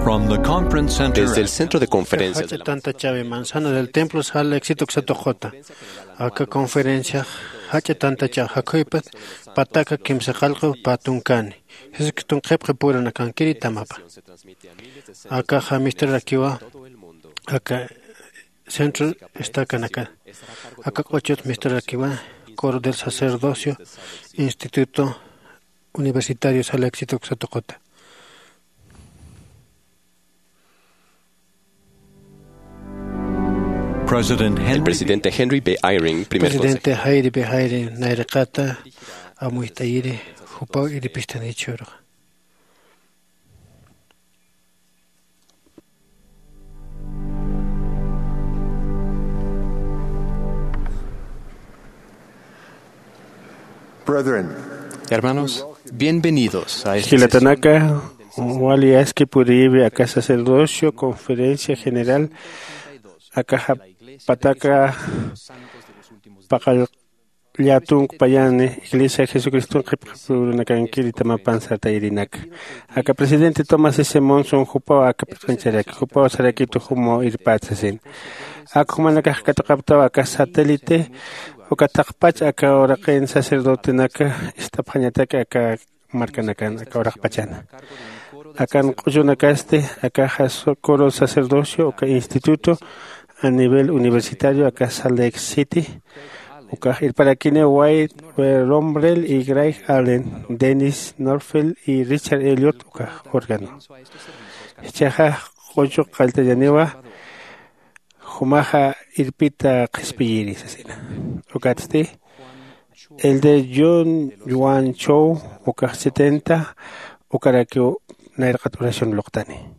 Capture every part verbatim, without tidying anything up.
From the Conference Center Desde el at Centro de Conferencias de Jach'a la tantachawi manzana del templo sal éxito ksatuqota. Aka conferencia jach'a tantacha jakhuypat pataka kimsa qallqu patunkani. Jesucristo qhipqi purunakankiri tamapa. Akaxa misterarakiwa aka centro estacanaka. Aka q'uchut misterarakiwa coro del sacerdocio, instituto universitario sal éxito ksatuqota. President El Henry presidente Henry B. Eyring, primer Presidente Henry B. Eyring nayraqata amuyt'ayiri jupaw irpistanichhürux. Brethren, hermanos, bienvenidos a este Jilatanaka, wali aski puriyiwi aka sacerdocio, conferencia general, akaxa pataka paqallatunkpayani, Iglesia Jesucriston qhipqipurunakankiri tamapan sartayirinaka. Aka presidente Thomas S. Monson jupaw aka p'iqancharaki, jupaw sarakitu jumaw irpät sasin. Ak jumanakax katuqaptaw aka satélite, uka taqpach aka uraqin sacerdotenaka ist'apxañataki aka markanakan aka uraqpachana. Akan q'uchunakasti, akaxa so-, coro sacerdocio, uka instituto a nivel universitario, aka Salt Lake City, ukax irparakini Wyatt Romrell y Greg Allen, Dennis Norfeld y Richard Elliott, ukax órgano. Jichhaxa q'uchu qalltañaniwa, jumaxa irpita qhispiyiri sasina. Ukatsti, el de John Yuan Cho, ukax setenta, ukarakiw nayraqat oración luqtani.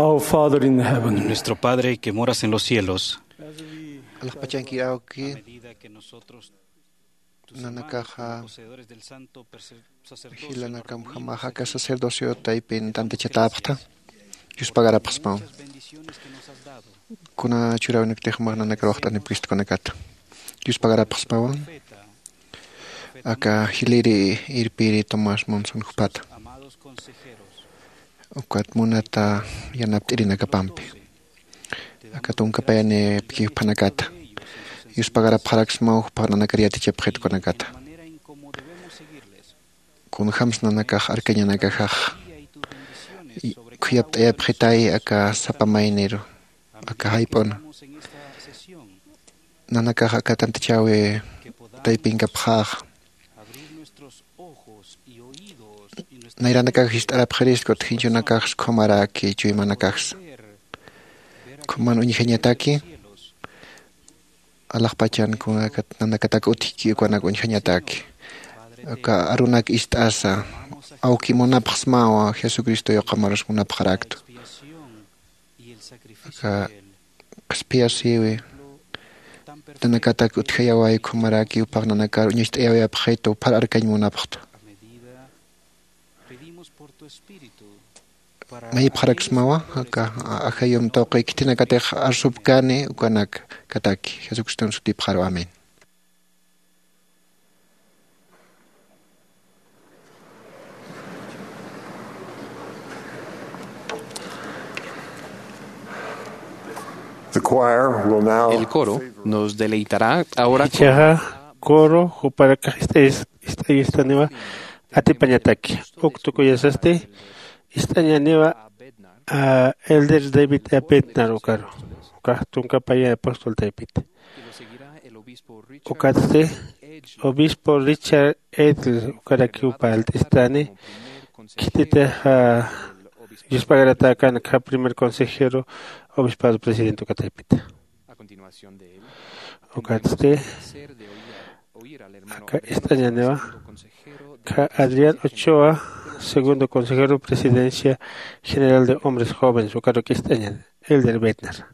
Our Father in heaven. Nuestro Padre que moras en los cielos. Alaxpachankir awki, a medida que nosotros, tus nanakaxa hermanos, poseedores del santo perse- sacerdocio, jilanakamjamax aka sacerdocio taypin tantachatäpxta. Yuspagarapxsmaw. Muchas bendiciones que nos has dado. Kuna churäwinakatix jumax nanakar waxt'anipkistu kunakata. Yuspagarapxsmawa. Aka jiliri irpiri Tomás Monson jupata. Ukat munata yanapt'irinakapampi. Aka tunka payanipki juphanakata. Yuspagarapxaraksmaw jupax nanakar yatichapxit kunakata. Kunjams nanakax arkañanakaxax khuyapt'ayapxitay aka sapa mayniru, aka jayp'una. Nanakax aka tantachäwi taypinkapxäxa. Nayranakax jist'arapxirist, kut jinchunakax khumaraki chuymanakaxsa. Khuman uñjañataki, alaxpachan kunakat nanakatak utjki ukanak uñjañataki. Aka arunak ist'asa, awki munapxsmawa, Jesucristo yuqamarus munapxaraktu. Aka qhispiyasïwi nanakatak utjayaway, khumaraki jupax nanakar uñacht'ayawayapxitu, phar arkañ munapxta. Mayipxaraksmawa, aka ajayum tuqi khitinakatix arsupkani ukanakataki. Jesucriston sutipxaru, amén. The choir will now El coro nos deleitará ahora con Jichhaxa coro juparakax ist'ayis-, ist'ayistaniwa atipañataki. Uk tukuyasasti ist'añaniwa, ah, Elder David A. Bednar ukaru. Ukax tunka paya apóstol taypit. Ukatsti obispo Richard Edel ukarakiw parlt'istani, khititixa, ah, yuspagaratäkän akha primer consejero obispado presidente uka taypita. Ukatsti, aka ist'añaniwa, akha Adrián Ochoa, segundo consejero presidencia general de hombres jóvenes, ukaruk ist'añan, Elder Bednar.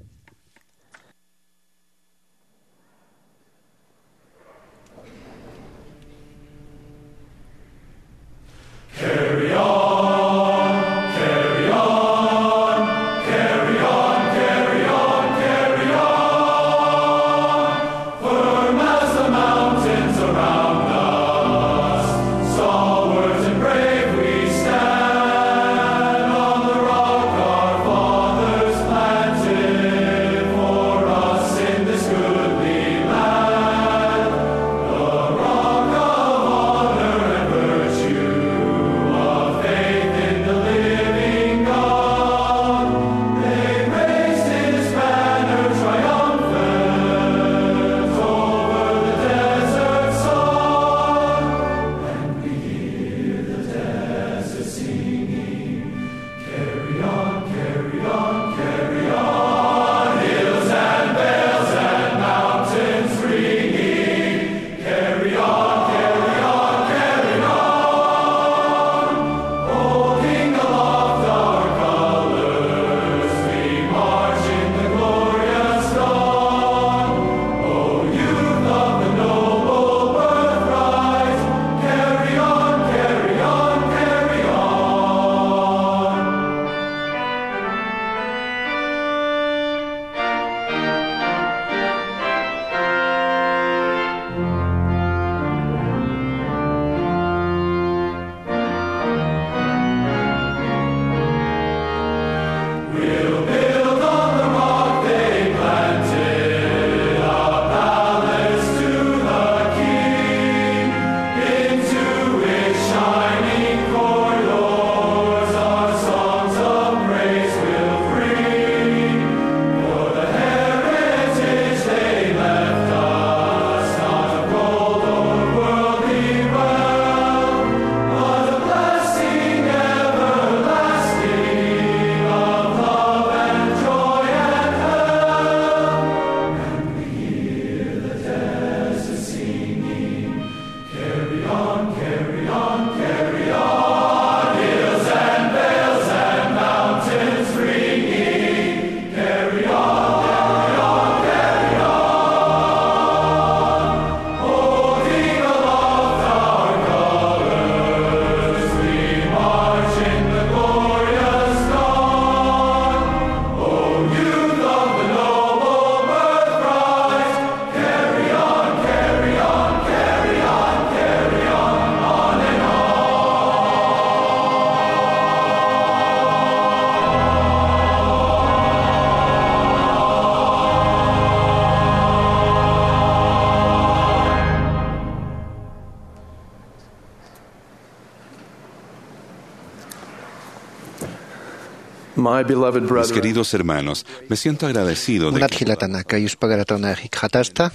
My beloved Mis brethren, queridos hermanos, me siento agradecido de munat que jilatanaka, yuspagaratawna jikxatasta.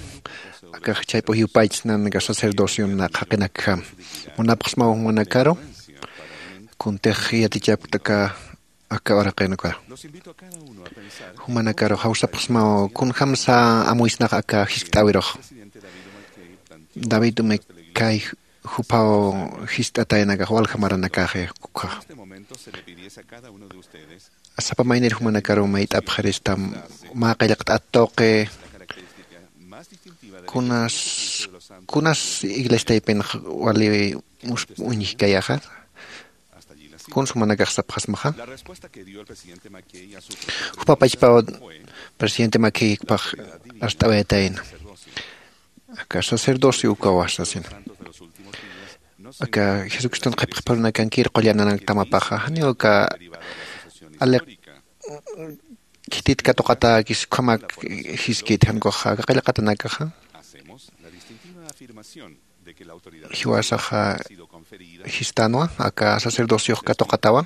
Akax chayp'u yupaychsnanaka sacerdociona qhaqinakjam. Munapxsmaw jumanakaru kuntix yatichapktaka aka uraqinaka. Jumanakaru jawsapxsmaw kunjamsa amuysnax aka jiskt'äwirux. David Mckay juphaw jist'ataynakax walja maranakaxi ukxa. Sapa maynir jumanakaru mayt'apxirista mä qillqt'at tuqi kunas kunas iglesiaypinx wali uñjkayaxa. Kuns jumanakax sapxasmaxa. Jupapachpaw presidente Mackay juphax arst'awayatayna. Aka sacerdocio ukawa sasina. Aka jesucriston qhipxipharunakankir qullananakta mapaxa janiw aka aliq khitit katuqatäkis ukhamak jiskit jankuxa aka qillqatanakaxa. Jiwasaxa jistanwa aka sacerdociox katuqatawa.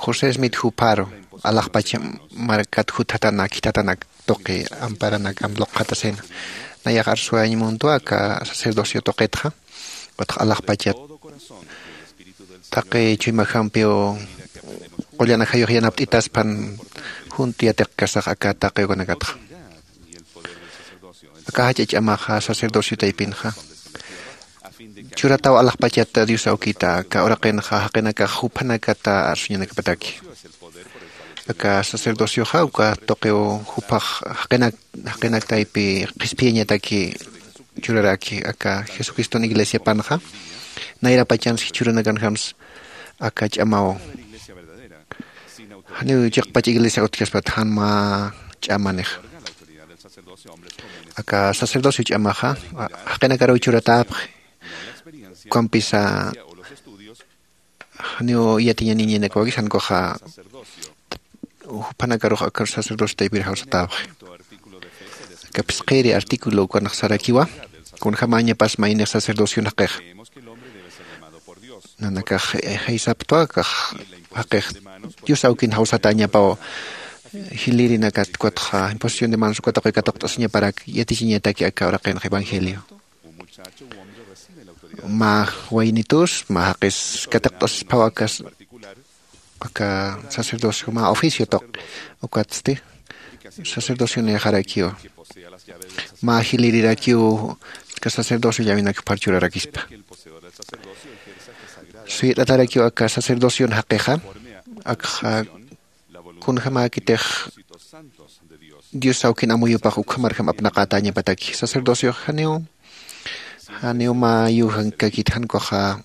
José smith jupharu alaxpach markat jutjatanak khithatanak tuqi amparanakam luqxatasina. Nayax arsuwayañ muntwa aka sacerdocio tuqitxa. Ukatxa alaxpachat taqi chuymajampiw qullanakjayux yanapt'itaspan junt yatiqkasax aka taqi ukanakatxa. Aka jach'a ch'amaxa sacerdocio taypinxa churataw alaxpachata dios awkita aka uraqinxa jaqinakax juphanakata arsuñanakapataki. Aka sacerdocioxa uka tuqiw juphax jaqinak jaqinak taypi qhispiyañataki churaraki aka jesucriston iglesiapanxa. Nayrapachansi churanakanjams aka ch'amaw janiw chiqpach iglesia utjaspat jan mä ch'amanix. Aka sacerdocio ch'amaxa jaqinakaruw churatäpxi. Ukampisa janiw yatiñaniñinakawakis jankuxa juphanakarux aka sacerdocio taypir jawsatäpxi. Aka phisqiri artículo ukanax sarakiwa kunjamañapas maynix sacerdocio jaqixa. Nanakax jaysaptwa akax jaqix dios awkin jawsatäñapaw jilïrinakat ukatxa imposición de manos uka tuqi katuqt'asiñaparak yatichiñataki aka uraqinxa evangelio. Mä waynitus mä jaqis katuqt'asisphaw aka sacerdocio mä oficio tuq ukatsti sacerdocio nixarakiw mä jilïrirakiw aka sacerdocio llavinak jupar churarakispa. Suyt'atarakiw aka sacerdocion jaqixa akxa kunjamäkitix dios awkin amuyupax ukhamarjam apnaqatäñapataki sacerdociox janiw janiw mä yujankakit jankuxa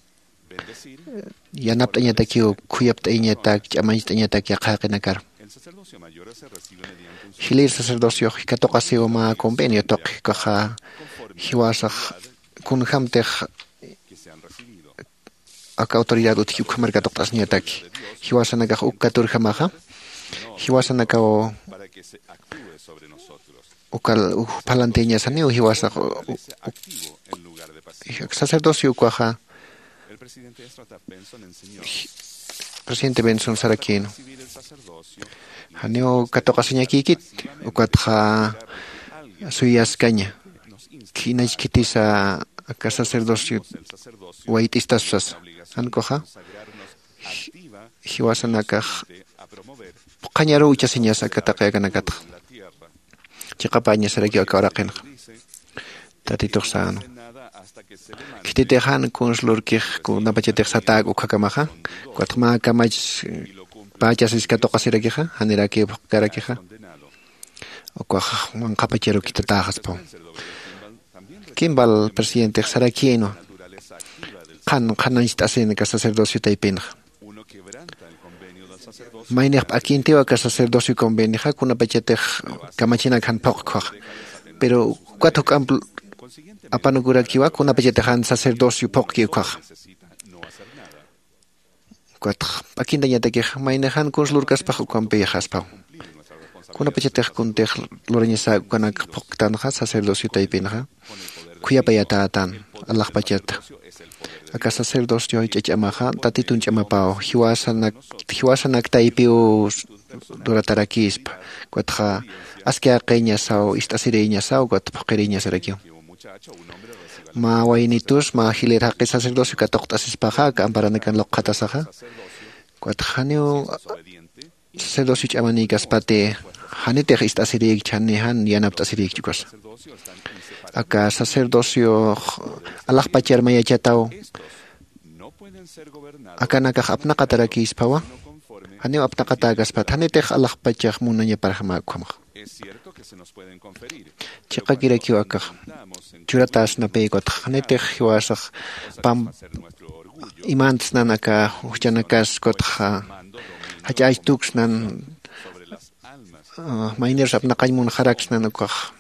yanapt'añatakiw khuyapt'ayañatak ch'amañcht'ayañatak yaqha jaqinakar. Jilïr sacerdociox katuqasiw mä convenio tuqi ukaxa jiwasax kunjämtix aka autoridad utjki ukhamar katuqt'asiñataki. Jiwasanakax uk katurjamaxa jiwasanakaw uka juphalantiñasaniw jiwasax sacerdocio ukaxa. Presidente benson sarakïnwa janiw katuqasiñakïkit ukatxa suyaskaña. Khinach khitisa aka sacerdocio wayt'istaspa sasa jankuxa jiwasanakax phuqhañaruw ichasiñasa aka taqi akanakatxa. Chiqapäñasarakiw aka uraqinxa tatitux sänwa. Khititix jan kuns lurkix kunapachatix satäk ukkhakamaxa ukatxa mä kamach pächasis katuqasirakixa janirakiw phuqkarakixa. Ukax manqhapacharu khithatäxaspaw. Kimball presidentix sarakïnwa qhan qhanañcht'asin aka sacerdocio taypinxa. Maynix p'akintiw aka sacerdocio convenixa kunapachatix kamachinak jan phuqkxaxa. Pero ukat juk'amp apanukurakiwa kunapachatix jan sacerdocio phuqki ukhaxa. Ukatx p'akintañatakix maynix jan kuns lurkaspax ukampiyxaspaw. Kunapachatix kuntix lurañasäk ukanak phuqktanxa sacerdocio taypinxa khuyapayatätan alaxpachata. Aka sacerdocio ch'ach'amaxa tatitun ch'amapaw jiwasanak jiwasanaktaypiw duratarakispa. Ukatxa aski aqiñasaw ist'asiriñasaw ukat phuqhiriñasarakiw. Mä waynitus mä jilïr jaqi sacerdocio katuqt'asispaxa aka amparanakan luqxatasaxa. Ukatxa janiw sacerdocio ch'amanïkaspati janitix ist'asirïkchi jani jan yanapt'asirïkchi ukasa. Aka sacerdocio alaxpachar mayachataw akanakax apnaqatarakïspawa. Janiw apnaqatäkaspat janitix alaxpachax munañaparjamä ukhamax. Chiqakirakiw akax churatäsnapï ukatxa janitix jiwasax pam imantsnan aka juchanakas ukatxa jach'äch tuksnan. Maynirus apnaqañ munxaraksnan ukax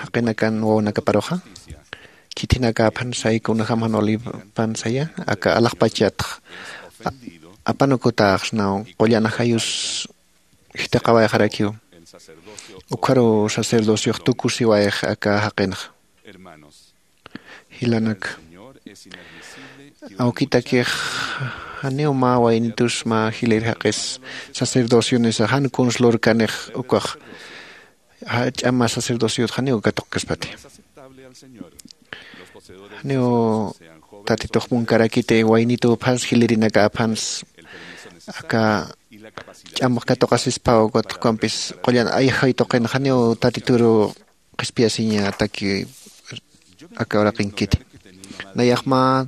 jaqinakan wawanakaparuxa. Khithinakäphan say kunjämjan walipan saya aka alaxpachatx apanukutäxsnaw qullan ajayus jithiqawayxarakiw. Ukharuw sacerdociox tukusiwayx aka jaqinxa. Jilanak, awkitakix janiw mä waynitus mä jilïr jaqis sacerdocionisa jan kuns lurkanix ukax jach'a mä sacerdociot janiw katuqkaspati. Janiw tatitux munkarakiti waynitupans jilïrinakäpans aka ch'amx katuqasispaw ukatxa ukampis qullan ayjay tuqin janiw tatituru qhispiyasiñataki aka uraqinkiti. Nayax mä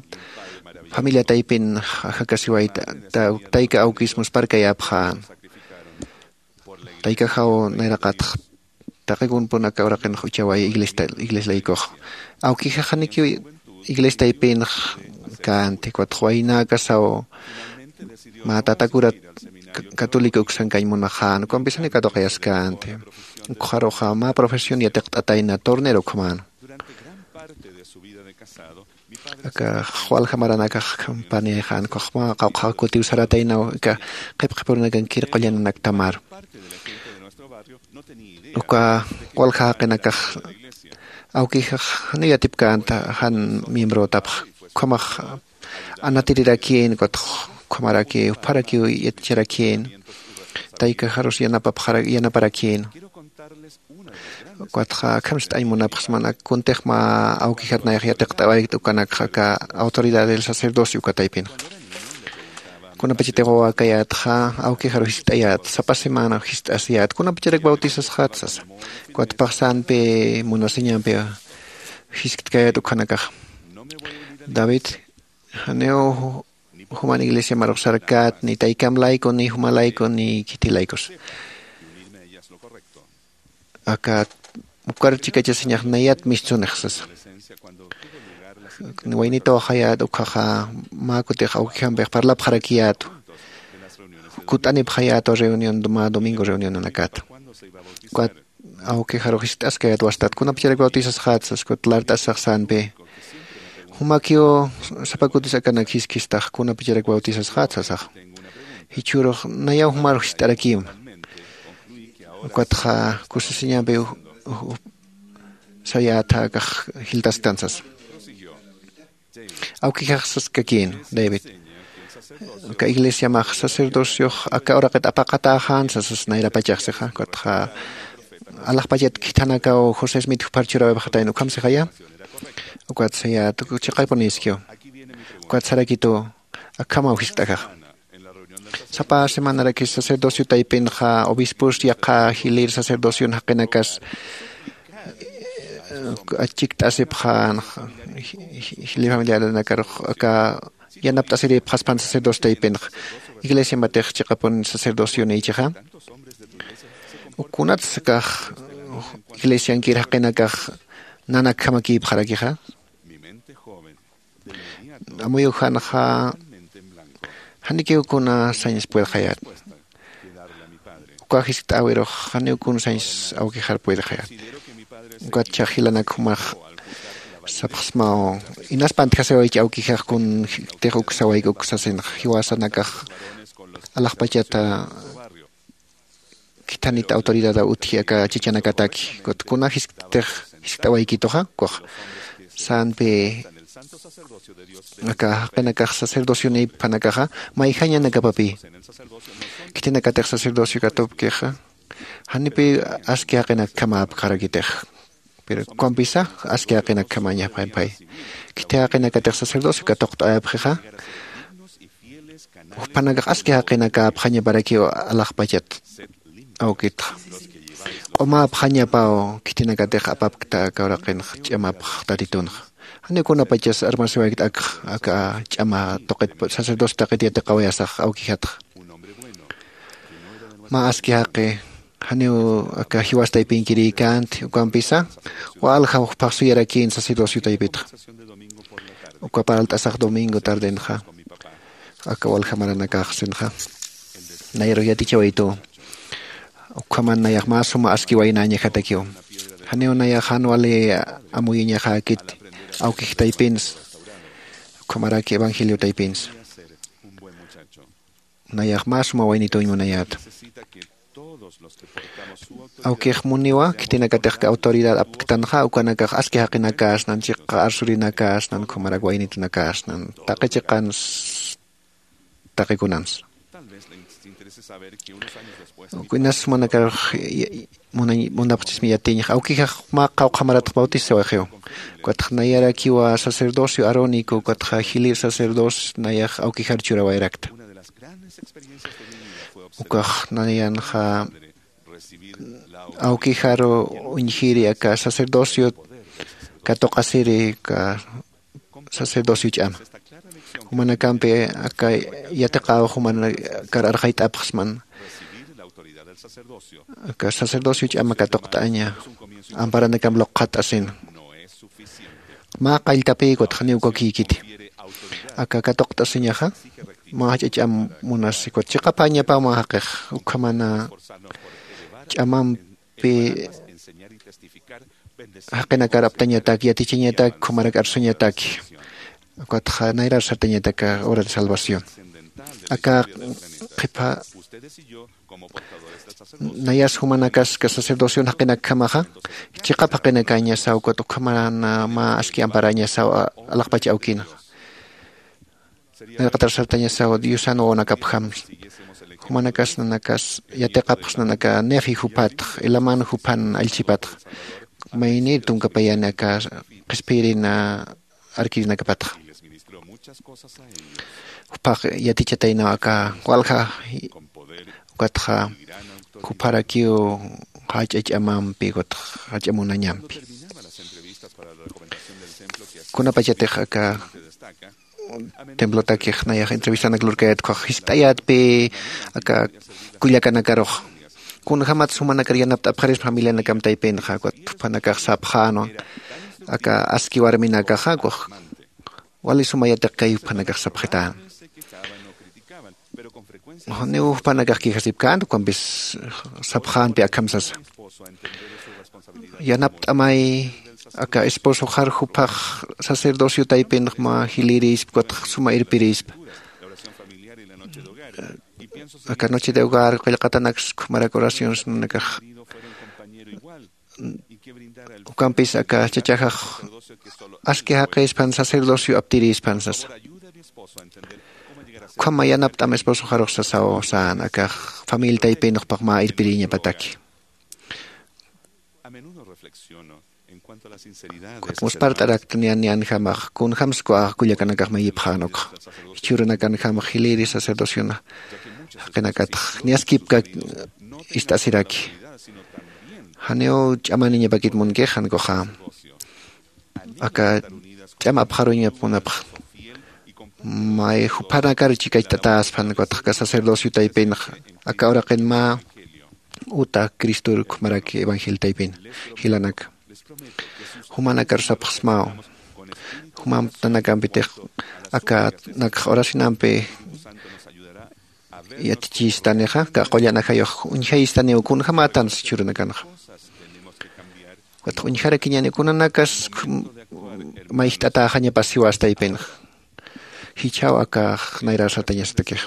familia taypin jakasiwayta tayka awkis muspharkayäpxän. Taykaxaw nayraqatx taqikunpun aka uraqinx uchaway iglesia laykuxa. Awkijax janikiw iglesia taypinx känti ukatxa waynäkasaw mä tatakurat católico uksan kañ munaxän ukampis janiw katuqayaskänti. Ukxaruxa mä profesión yatiqt'atayna tornero ukhamäna. Aka walja maranakax campañayxän ukax mä qawqha kutiw sarataynaw aka qhipqhipurunakankir qullananaktamar. Uka walja jaqinakax awkijax janiw yatipkänta jan miembrotapxa ukhamax anatirirakïn ukatxa ukhamaraki jupharakiw yaticharakïn. Taykaxarus yanapapxara yanaparakïn. Ukatxa akham ist'añ munapxsman kuntix mä awkijat nayax yatiqt'awaykta ukanakxa aka autoridad del sacerdocio uka taypinxa. Kunapachatix wawäkayätxa awkijaru jiskt'ayät sapa semana jiskt'asiyät kunapacharak bautisasxät sasa. Ukatpax sanpi munasiñampi jiskt'kayät ukhanakaxa. David, janiw juman iglesiamarux sarkät ni taykam layku ni juma layku ni khithi laykus. Aka ukar chikachasiñax nayat mistsunix sasa. Waynitawxayät ukhaxa mä kutix awkijampix parlapxarakiyätwa. Kut'anipxayätwa reunión mä domingo reunionanakata. Ukat awkijaru jiskt'askayät wastat kunapacharak bautisasxät sas ukat lart'asax sanpi. Jumakiw sapa kutis akanak jiskhistax kunapacharak bautisasxät sasax. Jichhürux nayaw jumaru jiskt'arakïma. Ukatxa kusisiñampi sayätxa akax jiltasktan sasa. Awkijax saskakïn, David, aka iglesiamax sacerdociox aka uraqit apaqatäxän sasas nayrapachax sixa ukatxa alaxpachat khithanakaw josé smit jupar churäwipxatayna ukham sixaya. Ukat sayät chiqapunïskiw. Ukat sarakitu akhamaw jiskt'ajaxa. Sapa semanarakis sacerdocio taypinxa obispos yaqha jilïr sacerdocion jaqinakas achikt'asipxänxa. Jilïr familiaranakarux aka yanapt'asirïpxaspan sacerdocio taypinxa. Iglesiampatix chiqapun sacerdocionïchixa. Kunatsa akax iglesiankir jaqinakax nanakjamakïpxarakixa. Amuyujanxa janikiw kuna sañs puedxayät. Uka jiskt'äwirux janiw kuna sañs awkixar puedxayät. Ukatchax jilanak jumax sapxsmaw, inaspantjasiwaychi awkixax kuntix uksawayki uksasinxa jiwasanakax alaxpachata khithanit autoridadaw utji aka chachanakataki. Kuna jisktix jiskt'awaykituxa ukax sanpi Aka jaqinakax sacerdocion iphanakaxa mayjañanakapapï. Khitinakatix sacerdocio katupkixa janipï aski jaqinakjama apkarakitix. Pero kukampisa aski jaqinakjamañapxampay. Khiti jaqinakatix sacerdocio katuqt'ayapxixa juphanakax aski jaqinakäpxañaparakiw alaxpachat awkitxa. Q'umäpxañapaw khitinakatix apapkta aka uraqinxa ch'amapx tatitunxa. Janiw kunapachas armasiwaykta akx aka ch'ama tuqit sacerdocio taqit yatiqawayasax awkijatxa. Mä aski jaqi janiw aka jiwas taypinkirïkänti ukampisa walja juphax suyarakïn sacerdocio taypitxa. Uka parlt'asax domingo tardenxa aka walja maranakax sinxa nayarux yatichawaytuw. Ukhaman nayax mä suma aski waynañajatakiw. Janiw nayax jan wali amuyañaxäkit awkix taypinsa ukhamaraki evangelio taypinsa. Nayax mä suma waynituñ munayäta. Awkix muniwa khitinakatix autoridad apktanxa ukanakax aski jaqinakäsnan chiqa arsurinakasnan ukhamarak waynitunakäsnan taqi chiqans taqi kunans. Ukinas sumanakarux munapxchismi yatiñax awkixax mä qawqhamaratx bautizawaxiw. Ukatx nayarakiwa sacerdocio arónico ukatxa jilïr sacerdocio nayax awkixar churawayrakta. Ukax nayanxa awkixaru uñjiri aka sacerdocio katuqasiri aka sacerdocio ch'ama. Jumanakampi aka yatiqaw jumanakar arxayt'apxsman aka sacerdocio ch'ama katuqt'aña amparanakam luqxat'asina. Mä qalltapï kutxaniw kukïkiti aka katuqt'asiñaxa mä jach'a ch'am munasi kut chiqapäñapaw mä jaqix ukhamana ch'amampi jaqinakar aptañatak yatichañatak ukhamarak arsuñataki. Ukatxa nayrar sartañatak aka hora de salvación aka qhipa nayas jumanakas aka sacerdocion jaqinakjamaxa chiqap jaqinakañasaw ukat ukhamarana mä aski amparañasaw alaxpach awkinaxa. Nayraqatar sartañasaw diosan wawanakapjamsa jumanakas nanakas yatiqapxsnan aka nefi jupatx elaman jupan allchhipatx maynir tunkapayani aka qhispiyirina arkirinakapatxa. Juphax yatichataynaw aka walja ukatxa jupharakiw jach'a ch'amampi ukatxa jach'a munañampi. Kunapachatix aka templotakix nayax entrevistanak lurkayät ukhax jiskt'ayätpi aka kullakanakarux kunjämat sumanakar yanapt'apxarispa familianakam taypinxa ukat juphanakax sapxänwa aka aski warminakaxa ukax wali suma yatiqkay juphanakax sapxitän. Janiw juphanakax quejasipkänti ukampis sapxänpi akham sasa yanapt'amay aka esposoxar juphax sacerdocio taypinx mä jilïrispa ukatx suma irpirispa aka noche de hogar qillqatanaks ukhamarak oraciones nanakax ukampis aka chachaxax aski jaqispan sacerdocio aptirispan sasa. Ukhama yanapt'am esposoxarux sasaw sän akax familia taypinxpax mä irpiriñapataki. Muspart'arakta niyan niyanjamax kunjämskwa kullakanakax mayipxän ukxa jichhürunakanjamax jilïri sacerdociona jaqinakatx niyaskipka ist'asiraki. Janiw ch'amaniñapakit munkix jan kuxa aka ch'am apxaruñap munapxa. May juphanakar chikacht'atäspan ukatxa aka sacerdocio taypinxa aka uraqin mä uta cristor ukhamarak evangelio taypin jilanaka jumanakar sapxsmaw. Jumamp nanakampitix aka nakx oracionampi yatichistanixa aka qullan ajayux uñjayistaniw kunjämätansa jichhürunakanxa. Ukatxa uñjarakiñäni kunanakas mayjt'atäxañapas jiwas taypinxa. Jichhaw akax nayrar sartañasatakix.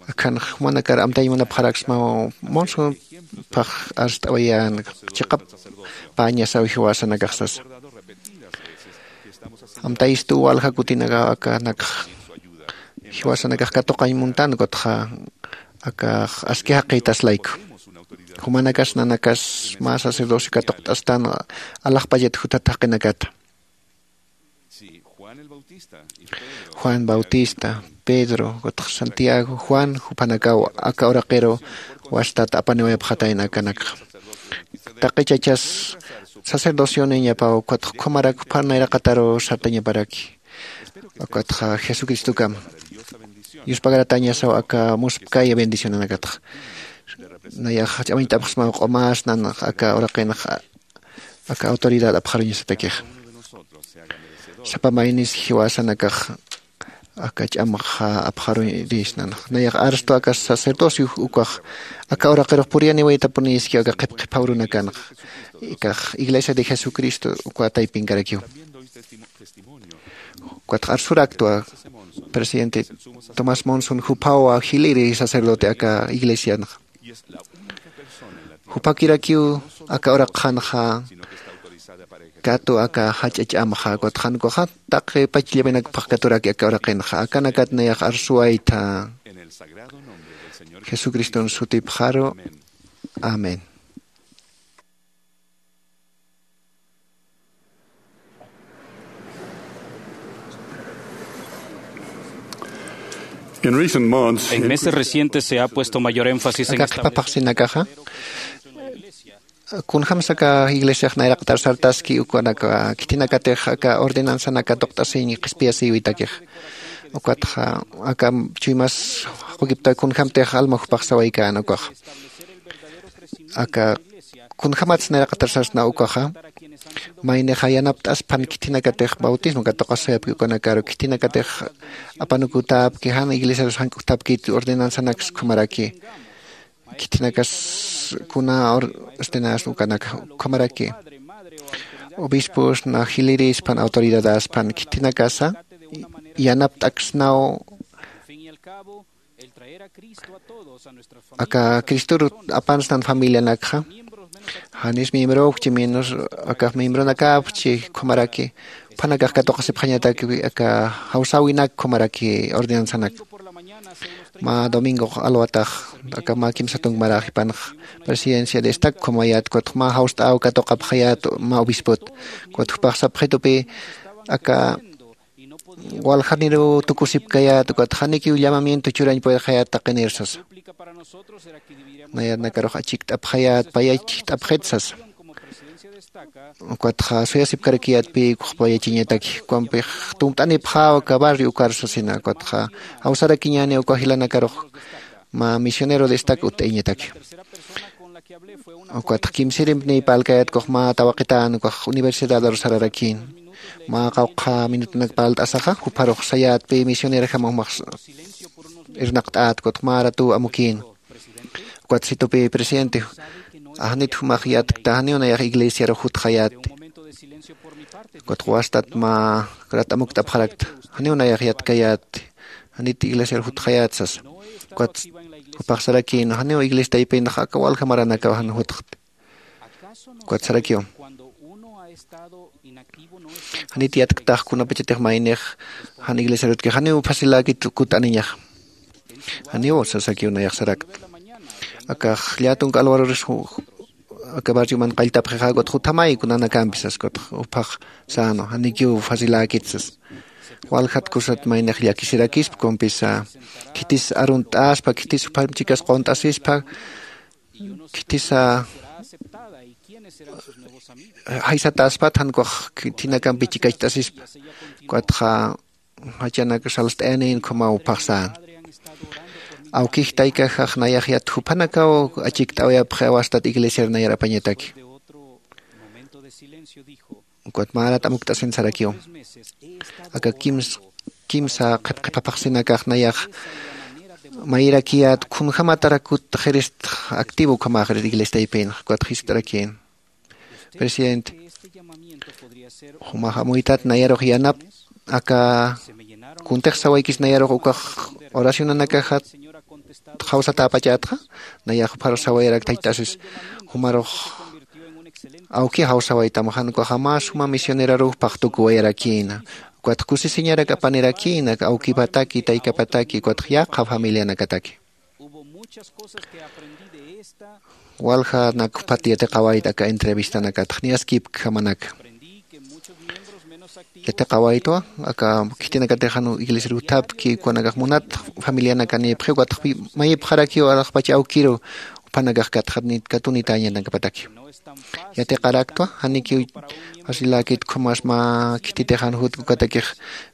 Akhanx jumanakar amtañ munapxaraksmaw munsumphax arst'awayän chiqap päñasaw jiwasanakax sasa. Amtayistu walja kutinakaw akanakx jiwasanakax katuqañ muntan ukatxa akax aski jaqïtaslayku. Jumanakas nanakas mä sacerdocio katuqt'astan alaxpachat jutat jaqinakata. Juan Bautista, Pedro ukatxa Santiago, Juan juphanakaw aka uraqiru wastat apaniwayapxatayna akanakxa. Taqi chachas sacerdocionañapaw ukatxa ukhamarak juphar nayraqataru sartañaparaki. Ukatxa jesucristokama yuspagaratäñasaw aka muspkaya bendicionanakatxa. Nayax ch'amañt'apxsmaw q'umas nanax aka uraqinxa aka autoridad apxaruñasatakixa. Sapa maynis jiwasanakax aka ch'amaxa apxaruñirisnanax nayax arstu aka sacerdocio ukax aka uraqirux puriyaniwaytapuniski aka qhipqhiphaw runakanxa ikax iglesia de jesucristo uka taypinkarakiw. Ukatxa arsuraktwa presidente tomás monson juphawa jiliri sacerdote aka iglesianxa. Jupakirakiw aka uraqxanxa katu aka jach'a ch'amxa ukatxa jankuxa taqi pachllaminakpxakkaturaki aka uraqinxa akanakat nayax arsuwaytha. Jesucriston sutipxaru. Amén. En meses recientes se ha puesto mayor énfasis en esta qhipaphaxsinakaxa kunjämsa aka iglesiax nayraqatar sartaski ukanaka khitinakatix aka ordenanzanaka tuqt'asiñ qhispiyasïwitakix. Ukatxa aka chuymas jaqukipta kunjämtix alma jupax sawaykän ukaxa aka kunjämatsa nayraqatar sarsna ukaxa maynixa yanapt'aspan khitinakatix bautismo katuqasayapki ukanakaru khitinakatix apanukutäpki jan iglesiarus jank'uktapkit ordenanzanaks ukhamaraki khitinakas kuna ordenas ukanaka ukhamaraki obispos na jilirispan autoridadaspan khitinakasa yanapt'aksnaw aka cristor apansnan familianakxa janis miembroxchi menos akax miembronakapchi ukhamaraki juphanakax katuqasipxañatakpi aka jawsäwinak ukhamaraki ordenanzanak. Mä domingox alwatax aka mä kimsa tunkmarax jipanx presidencia de estac ukhamayät ukatx mä jawst'äw katuqapxayät mä obispot ukatx jupax sapxitupi aka waljaniruw tukusipkayät ukatx janikiw llamamiento churañ puedxayät taqinir sasa. Nayanakarux achikt'apxayät payachit'apxit sasa. Ukatxa suyasipkarakiyätpï ukxpayachiñataki ukampix tunt'anipxäw aka barrio ukar sasina ukatxa jawsarakiñäni uka jilanakarux mä misionero de estac utt'ayañataki. Ukatxa kimsirimp niy parlkayät ukax mä tawaqitän ukax universidad arusararakïn mä qawqha minutunak parlt'asaxa jupharux sayätpï misionerjama jumax irnaqt'ät ukatxa mä ratuw amukïn. Ukat situpi presidente janit jumax yatkta janiw nayax iglesiarux jutxayätti. Ukat wastat mä rat amukt'apxarakta janiw nayax yatkayätti janit iglesiarux jutxayät sasa. Ukat jupax sarakïn janiw iglesia taypinxa aka walja maranakaw jan jutxti. Ukat sarakiw janit yatktax kunapachatix maynix jan iglesiarutki janiw faciläkit kut'aniñaxa. Janiw sasakiw nayax sarakta. Akax llätunk alwaruris aka barrioman qalltapxixa ukatx juthamayku nanakampi sas ukatx juphax säna janikiw faciläkit sas. Waljat kusat maynix llakisirakispa kumpisa khitis arunt'aspa khitis juphamp chikas qunt'asispa khitisa jaysatäspat jan ukax khitinakampi chikacht'asispa. Ukatxa jachanak salst'ayanin ukhamaw phaxsän. Awkij taykajax nayax yat juphanakaw achikt'awayapxi awastat iglesiar nayar apañataki. Ukat märat amukt'asin sarakiw aka kimsa qhipqhipaphaxsinakax nayax mayirakiyät khunjamatarakut qhirist activo ukhamaxrit iglesia taypinx ukat jiskt'arakïn. Presidente, jumax amuytat nayarux yanap aka kuntix sawaykis nayarux ukax oracionanakaxat jawsatäpachätxa. Nayax jupharux sawayarak thayt'asis jumarux awki jawsawaytam jan ukaxa mä suma misioneraruw paqtukuwayarakïna. Ukatx kusisiñarak apanirakïna awkipataki taykapataki ukatx yaqha familianakataki. Walja nak juphat yatiqawayta aka entrevistanakatx niyaskipkjamanaka. Yatiqawaytwa aka khitinakatixan iglesiar juthapki ukanakax munat familianakanïpxi ukatx mayipxarakiw alaxpach awkiru juphanakax katunitäñanakapataki. Yatiqaraktwa janikiw asiläkit ukhamas mä khititixan jutki ukatakix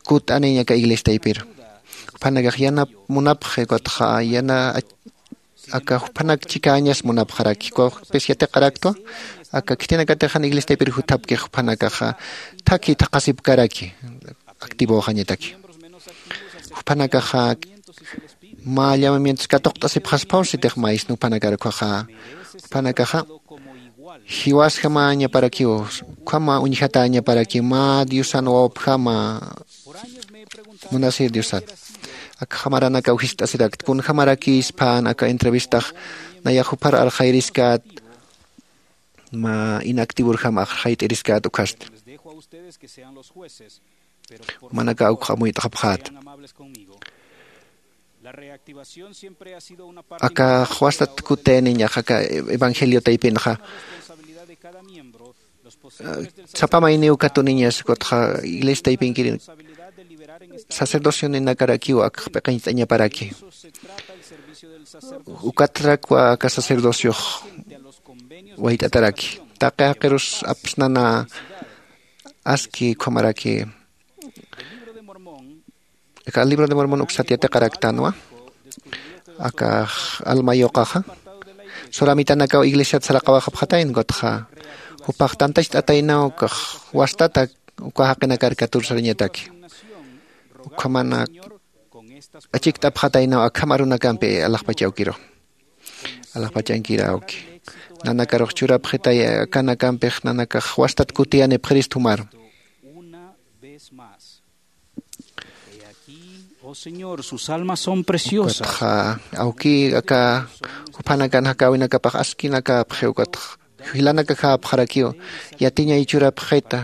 kutt'aniñ aka iglesia taypiru. Juphanakax yanap munapxi ukatxa yana aka juphanak chikäñas munapxaraki ukawxpis yatiqaraktwa. Aka khitinakatixan iglesia taypir juthapkix juphanakaxa thakhi thaqhasipkaraki activoxañataki. Juphanakaxa mä llamamientos katuqt'asipxaspaw sitix maysni juphanakar ukhaxa juphanakaxa jiwasjamañaparakiw ukhama uñjatäñaparakiw mä diosan wawapjama munasir diosat. Akxamaranakaw jist'asirakt kunjamarakïspän aka entrevistax nayax juphar arxayiriskät mä inactivorjam arxayt'iriskät ukhasti. Jumanakax ukx amuyt'xapxät. Akax wastat kutïniñax aka evangelio taypinxa sapa mayniw katuniñas ukatxa iglesia taypinkir sacerdocioninakarakiw akx p'iqiñt'añaparaki. Ukatrakwa aka sacerdociox wayt'ataraki taqi jaqirus apsnana aski ukhamaraki. Aka libro de mormon uksat yatiqaraktanwa. Akax alma yuqaxa suramitanakaw iglesiat saraqawaxapxatayna ukatxa jupax tantacht'ataynaw ukax wastata uka jaqinakar katur sarañataki. Ukhamana achikt'apxataynaw akham arunakampi alaxpach awkiru alaxpachankir awki nanakarux churapxitay akanakampix nanakax wastat kutiyanipxirist jumaru. Ukatxa awki aka juphanakan jakäwinakapax askinakapxi ukatxa jilanakakäpxarakiw yatiñay churapxita.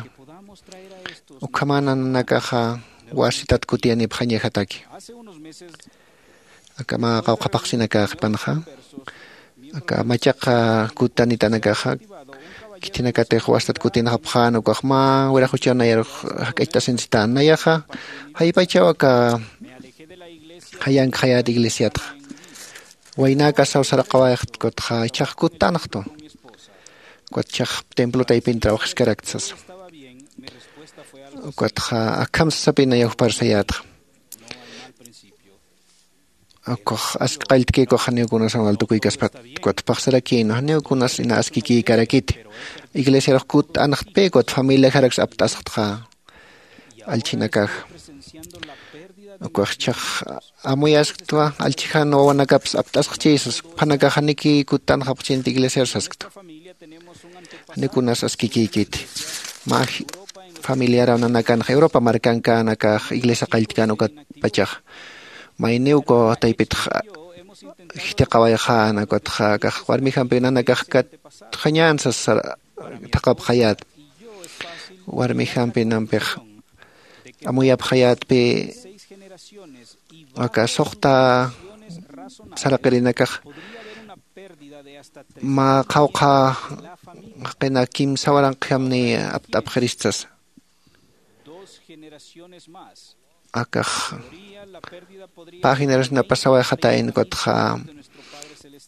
Ukhaman nanakaxa wasitat kutiyanipxañajataki. Aka mä qawqha phaxsinaka qipanxa aka machaqa kutanitanakaxa khithinakatix wastat kutinxapxän ukax mä wiraxuchaw nayarux jak'acht'asinsitän nayaxa jaypachaw aka jayankxayät iglesiatxa waynäkasaw saraqawayxt ukatxa ichhax kuttanxtwa. Ukat ichhax templo taypin trawxiskarakta sasa. Ukatxa akham sasapï nayaw jupar sayätxa. Ukax aski qalltkïkux janiw kunas amal tukuykaspat ukat phaxsarakïnwa janiw kunas ina askikïkarakiti. Iglesiarux kutt'anxtpï ukat familiajaraks apt'asxtxa allchhinakaxa. Ukax ichhax amuyasktwa allchhijan wawanakapis apt'asxchï sas juphanakax janiki kuttanxapxchinti iglesiar sasktwa. Janiw kunas askikïkiti mä familiaraw nanakanxa europa markankänakax iglesia qalltkän ukatpachaxa mayniw ukaw taypitx jithiqawayxän ukatxa akax warmijampiw nanakax katxañän sasa thaqhapxayät. Warmijampi nampix amuyapxayätpï aka suxta saraqirinakax mä qhawqha jaqina kimsa waranqjamni apt'apxirist sasa. Akax pä generacionapasawayxatayna ukatxa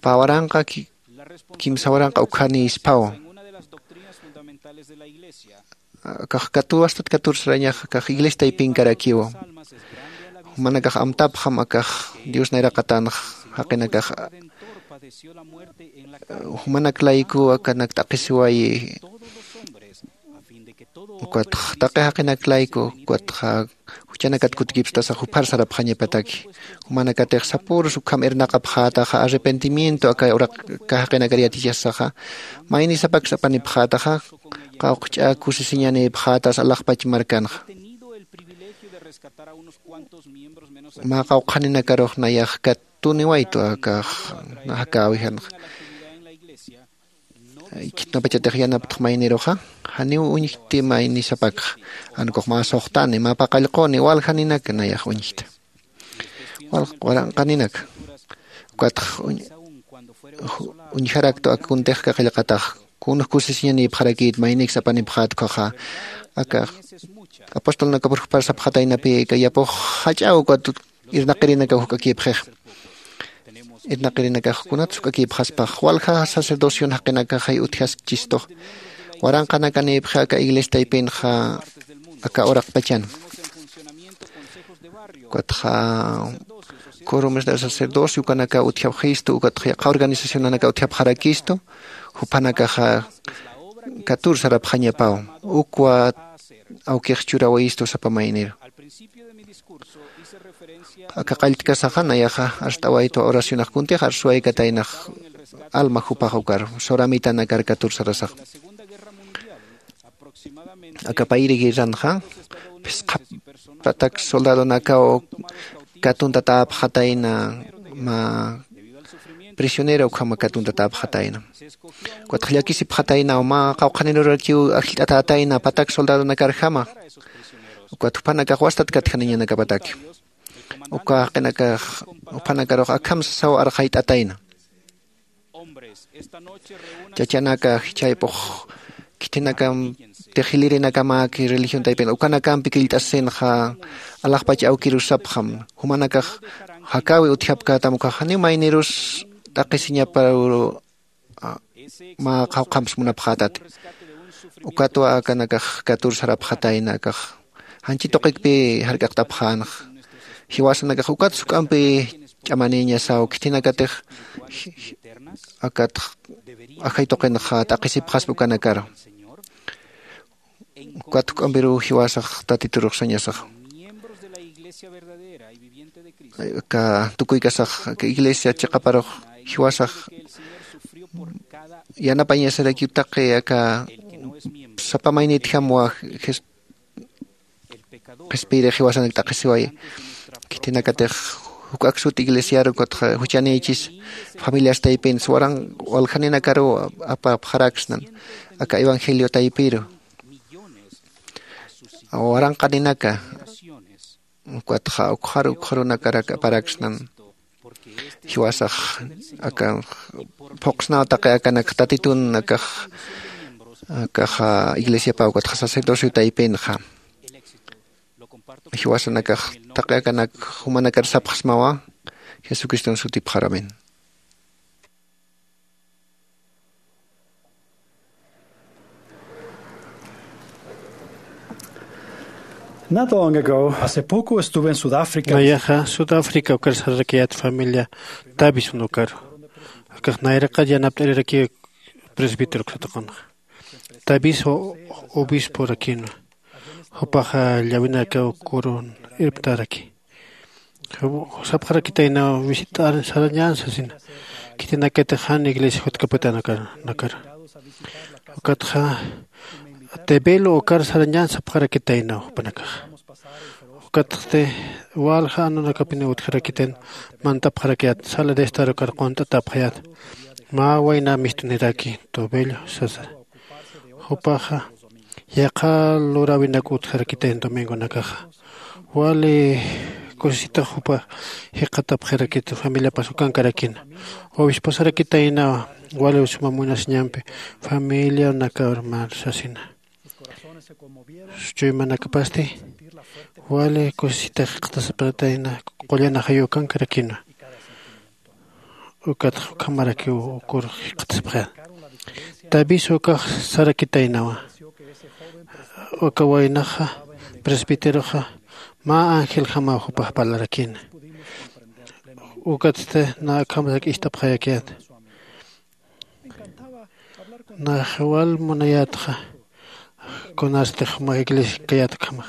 pä waranqa kimsa waranqa ukhanïspaw. Akax katuw astat katur sarañax akax iglesia taypinkarakiwa. Jumanakax amtapxam akax dios nayraqatanx jaqinakax jumanak laykuw akanak t'aqhisiwayi. Ukatx taqi jaqinak layku ukatxa juchanakat kutkipstasax juphar sarapxañapataki. Jumanakatix sapürus ukham irnaqapxätaxa arrepentimiento aka uraq aka jaqinakar yatichasaxa maynisapaksa apanipxätaxa qawqch'a kusisiñanïpxätas alaxpach markanxa. Mä qawqhaninakarux nayax katuniwaytu akax jakäwijanxa. Khitnapachatix yanaptx mayniruxa, janiw uñjti maynisapakxa. Anukux mä suxtani, mä paqallquni, walja ninaka nayax uñjta. Walja waranqa ninaka. Ukatx uñ-, ju-, uñjaraktu aka kuntixka qillqatax, kunx kusisiñanïpxarakït, mayniks apanipxät ukhaxa. Aka apostolnakapur jupar sapxataynapï, aka yapux jach'aw ukat irnaqirinakaw juk'akïpxix. Irnaqirinakax kunatsa juk'akïpxaspax, walja sacerdocion jaqinakaxay utjaskchistux. Waranqanakanïpxi aka iglesia taypinxa aka uraqpachan. Ukatxa quorumes de sacerdocio ukanaka utjapxistu, ukatxa yaqha organizacionanaka utjapxarakistu, jupanakaxa catorce sarapxañapaw. Ukwa awkix churawayistu sapa mayniru. Aka qalltkasaxa nayaxa arst'awaytwa oracionax kuntix arsuwaykataynax alma jupax ukar, soramitanakar catorce sarasax. Aka payri guerranxa, phisqa patak soldadonakaw katuntatäpxatayna, mä prisionero ukhama katuntatäpxatayna. Ukatxa llakisipxataynaw, mä qawqhanirurakiw ajllt'atätayna patak soldadonakarjama. Ukat jupanakax wastat katjaniñanakapataki. Uka jaqinakax, jupanakarux akham sasaw arxayt'atayna. Chachanaka jichhaypux, khitinakam, tixilirinakamaki religión taypin, ukanakampi killt'asinxa, alaxpach awkirus sapxam, jumanakax jakäwi utjapkätam, ukax janiw maynirus t'aqhisiñaparu, a, mä qawqhamps munapxätati. Ukatwa akanakax catorce sarapxatayna, akax janchi tuqikpi jark'aqt'apxänxa. Jiwasanakax ukats juk'ampi ch'amanïñasaw, khitinakatix, ji-, ji-, akat ajay tuqinxa t'aqhisipxaspa ukanakaru. Ukat juk'ampiruw jiwasax Tatiturux sañasax. Aka tukuykasax, aka iglesia chiqaparux jiwasax yanapañasarakiw taqi aka sapa maynitjamwa Jes-, qhispiyirix jiwasanak t'aqhisiwayi. Khitinakatix juk'ak sut iglesiaru, ukatxa juchanïchis familias taypin, waran waljaninakaruw apapxaraksnan aka evangelio taypiru. Waranqaninaka, ukatxa ukxar ukxarunakarak aparaksnan. Jiwasax aka phuqsnaw taqi akanak Tatitun akax, akaxa iglesiapaw ukatxa sacerdocio taypinxa. Jiwasanakax taqi akanak jumanakar sapxsmawa, Jesucriston sutipxar, amén. Not long ago, hace poco estuve en Sudáfrica. Nayaxa Sudáfrica ukar sararakiät familia Davison ukaru. Akax nayraqat yanapt'ariraki presbítero uksataqunxa. Davison o-, obisporakinwa. Jupaxa llawinakaw kurun irptaraki. Sapxarakitaynaw visitar sarañän sasina. Khitinakatix jan iglesia jutkapatan nakar, nakar. Ukatxa Tebelo ukar sarañän sapxarakitaynaw jupanakax. Ukatxti walja anunakapiniw utjarakitayna mantapxarakiyät sala de estar ukar qunt'atapxayät. Mä wayna mistuniraki Tobello sasa. Jupaxa yaqha luräwinak utjarakitayna domingonakaxa. Wali kusisitax jupa jikxatapxirakitu familiapas ukankarakina. Obisposarakitaynawa wali suma munasiñampi familianakar mä sasina. Chuymanakapasti wali kusisitax jikxatasipxatayna, qullana jayu ukankarakina. Ukat ukhamarakiw ukur jikxatasipxi. Davison ukax sarakitaynawa. Uka waynaxa presbíteroxa mä angeljamaw jupax parlarakina. Ukatsti na akham sak'ist'apxayakiyät. Nax wal munayätxa, kunasti jumax iglesia kayät ukhamax.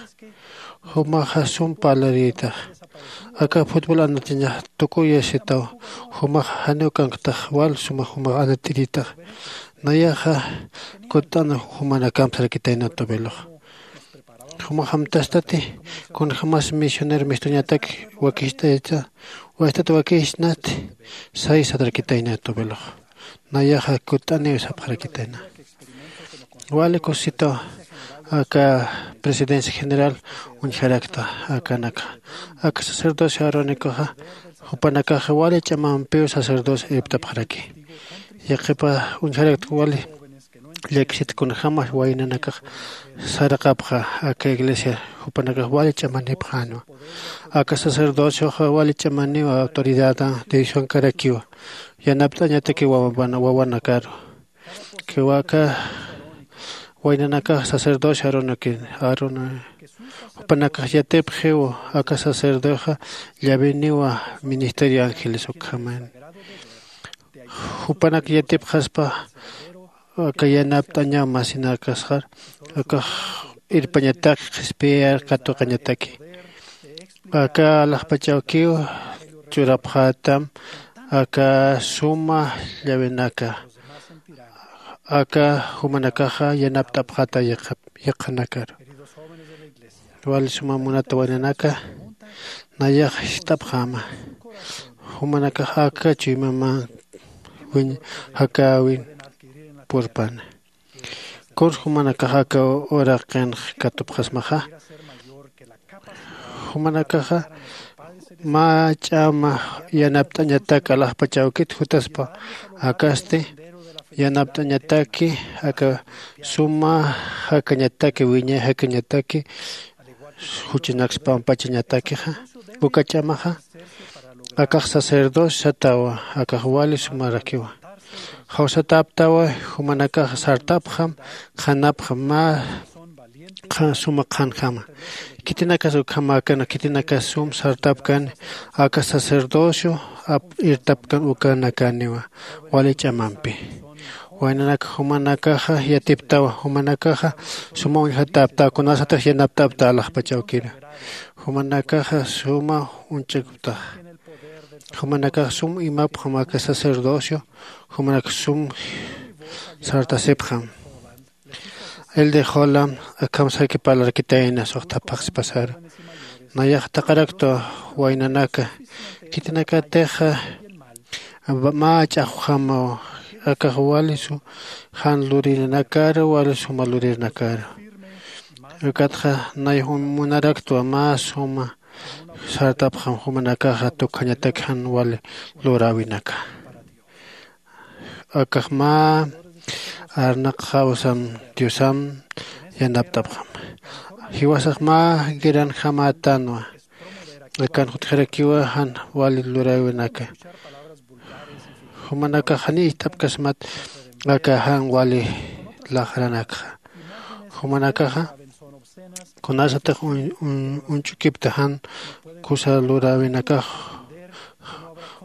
Jumaxa sum parlarïtax. Aka futbol anatiñax tukuyasitaw. Jumax janiw kanktax wal suma jumax anat'irïtax. Nayaxa kutt'an jumanakamp sarakitayna Tobelox. Jumax amtastati, kunjämas misionero mistuñatak wakist'ayta, wastat wakisnati, say satarakitayna Tobelox. Nayaxa kutt'aniw sapxarakitayna. Wali kusisitaw aka presidencia general uñjarakta akanaka. Aka sacerdocio aaronicoxa jupanakaxa wali ch'amampiw sacerdocio irptapxaraki. Yaqhipa uñjarakta wali llakisit kunjäma waynanakax saraqapxa aka iglesia jupanakax wali ch'amanipxänwa. Aka sacerdocioxa wali ch'amaniw autoridadan decisionkarakiwa. Yanapt'añatakiw wawanakaru. Kiwaka waynanakax sacerdocio aaronikin aaroni jupanakax yatipxiw aka sacerdocioxa llaveniwa ministerio ángeles ukhaman. Jupanak yatipxaspa aka yanapt'añaw masinakasxar akax irpañatak qhispiyar katuqañataki. Aka alaxpachawkiw churapxätam aka suma llavenaka aka jumanakaxa yanapt'apxäta yaqhanakar. Wali suma munata waynanaka nayax jist'apxäma. Jumanakax aka chuymaman wiñ jakäwin purpana. Kuns jumanakax aka uraqinx katupxasmaxa jumanakaxa mä ch'ama yanapt'añatak alaxpachawkit jutaspa. Akasti yanapt'añataki aka suma jakañataki wiñay jakañataki juchunaks pampachañatakixa. Uka ch'amaxa akax sacerdocio satawa akax wali sumarakiwa. Jawsatäptawa jumanakax sartapxam qhanapxam mä suma qhanjama. Khitinakas ukhamäkana khitinakas sum sartapkani aka sacerdocio irtapkan ukanakaniwa wali ch'amampi. Waynanak jumanakaxa yatiptawa jumanakaxa suma uñjatäptawa kunasatix yanapt'apta alaxpachawkira. Jumanakaxa suma uñch'ukptaxa jumanakax sum imapxam aka sacerdocio jumanak sum sartasipxam. El de jolam akham saki parlarkitayna suxta phaxsipasaru. Nayax taqarakta waynanaka khitinakatixa mä ch'axwjamaw akax walisu jan lurinanakaru walisuma lurirnakaru. Ukatxa nay munaraktwa mä suma sartapxam jumanakaxa tukjañatak jan wali luräwinaka. Akax mä arnaqxawsam diosam yanapt'apxam. Jiwasax mä guerranjamätanwa. Akan jutjarakiwa jan wali luräwinaka. Jumanakax janiy ist'apkasmat aka jan wali laxranakxa. Jumanakaxa kunasatix uñch'ukipta jan kusa luräwinakax.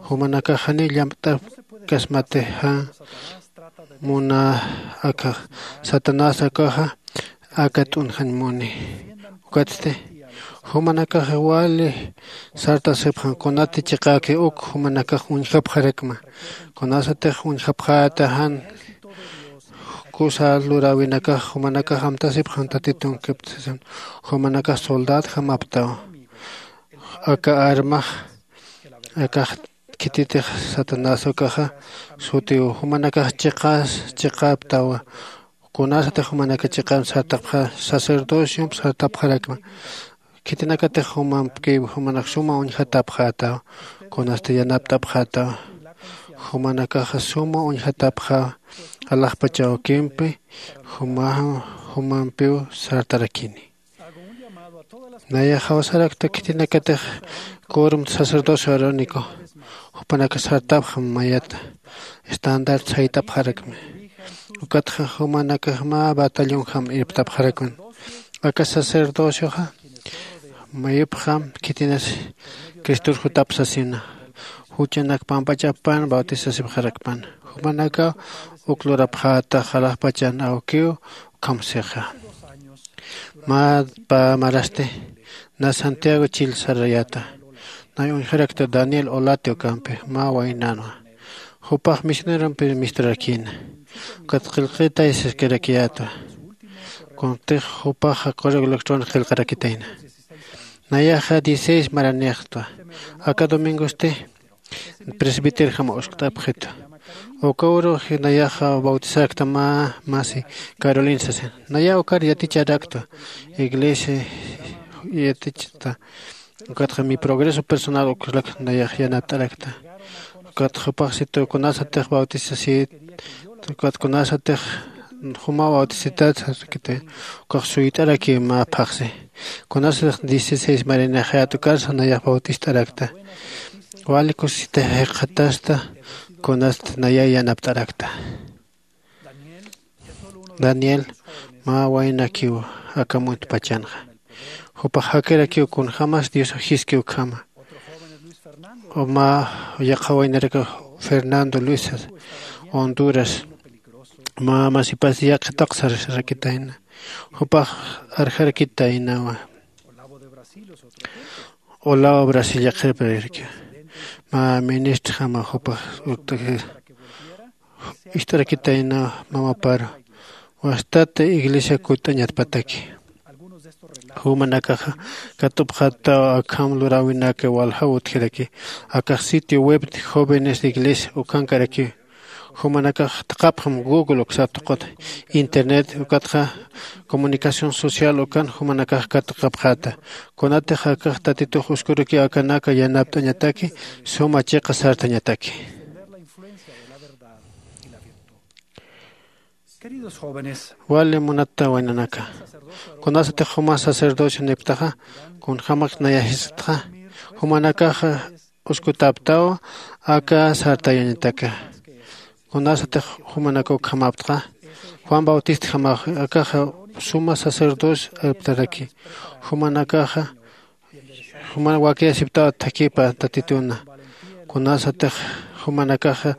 Jumanakax janiy llampt'apkasmati jan muna akax satanás akaxa aka t'unjañ muni. Ukatsti jumanakax wali sartasipxan kunati chiqäki uk jumanakax uñjapxarakma. Kunasatix uñjapxäta jan kusa luräwinakax jumanakax amtasipxan tatitunkipta sasan. Jumanakax soldadjamaptaw aka armax akax khititix satanás ukaxa sutiw jumanakax chiqas chiqaptawa. Kunasatix jumanaka chiqan sartapxa sacerdociomp sartapxarakma. Khitinakatix jumampkiw jumanak suma uñjatapxätaw kunasti yanapt'apxätaw. Jumanakaxa suma uñjatapxäw alaxpach awkimpi jumampiw sartarakini. Nayax jawsarakta khitinakatix quorum sacerdocio arónico jupanaka sartapxam mayata estandar saytapxarakmi. Ukatxa jumanakax mä batallonjam irptapxarakman. Aka sacerdocioxa mayupxam khitinas cristor jutap sasina. Juchanak pampachappan bautisasipxarakpan jumanakaw uk lurapxäta jalaqpachan awkiw. Ukham sixa mä pä marasti na santiago chil sarayäta. Nay uñjarakta daniel olati ukampi mä waynanwa. Jupax misionerompir misturakïna. Ukat qillqitay siskarakiyätwa. Kuntix jupaxa correo electrónico qillqarakitayna. Nayaxa dieciséis maranixtwa. Aka domingosti presbíterjam uskt'apxitwa. Uka urux nayaxa bautizarakta mä masi Carolina sasin. Naya ukar yaticharakta, iglesia yatichta. Ukatxa mi progreso personal ukarak nayax yanapt'arakta. Ukat jupaxsitu kunasatix bautizasit, ukat kunasatix juma bautizität sarkiti, ukax suyt'araki mä phaxsi. Kunasatix dieciséis marinaxayät ukarsa nayax bautizt'arakta. Wali kusisita jikxatasta, kunasat naya yanapt'arakta. Daniel mä waynakiw aka muntpachanxa. Jupax jakirakiw kunjämas Dios jiskiw ukhama. Mä yaqha waynarakax Fernando Luis Honduras, mä masipas yaqha taqsararakitayna. Jupax arjarakitaynawa. Olavo Brasil yaqhirpirirakiw. Mä ministrjama jupax ist'arakitayna mamaparu. Wastat iglesia kutt'añatpataki. Jumanakaxa katupxataw akham luräwinaka waljaw utjiraki. Akax sitio web de jóvenes de iglesia ukankaraki. Jumanakax thaqhapxam Google uksa tuqut, internet ukatxa comunicación social ukan jumanakax katupxata. Kunatix akax Tatitux uskuruki akanaka yanapt'añataki, suma chiqa sartañataki. Wali munata waynanaka, kunasatix juma sacerdocio niptaxa, kunjämak nayax jisktxa, jumanakaxa uskutäptawa aka sartayañataka. Kunasatix jumanaka ukhamaptxa, Juan Bautistjamax akaxa suma sacerdocio irptaraki. Jumanakaxa juma wakiyasiptawa thakhipa Tatituna. Kunasatix jumanakaxa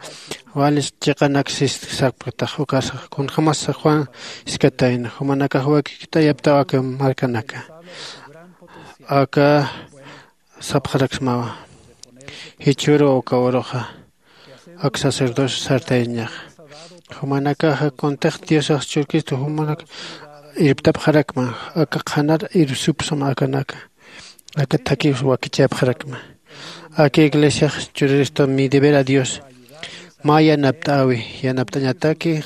wali chiqanak sis sarpktax ukasa, kunjämasa Juan jiskatayna. Jumanakax wakikt'ayaptawa aka markanaka. Aka sapxaraksmawa. Jichhüru uka uruxa ak sacerdocio sartayañaxa. Jumanakaxa kuntix Diosax churkistu jumanak irptapxarakma, aka qhanar irpsupsma akanaka. Aka thakhiw wakichäpxarakma. Aka iglesiax churiristu mi deber a Dios. Mä yanapt'äwi, yanapt'añataki,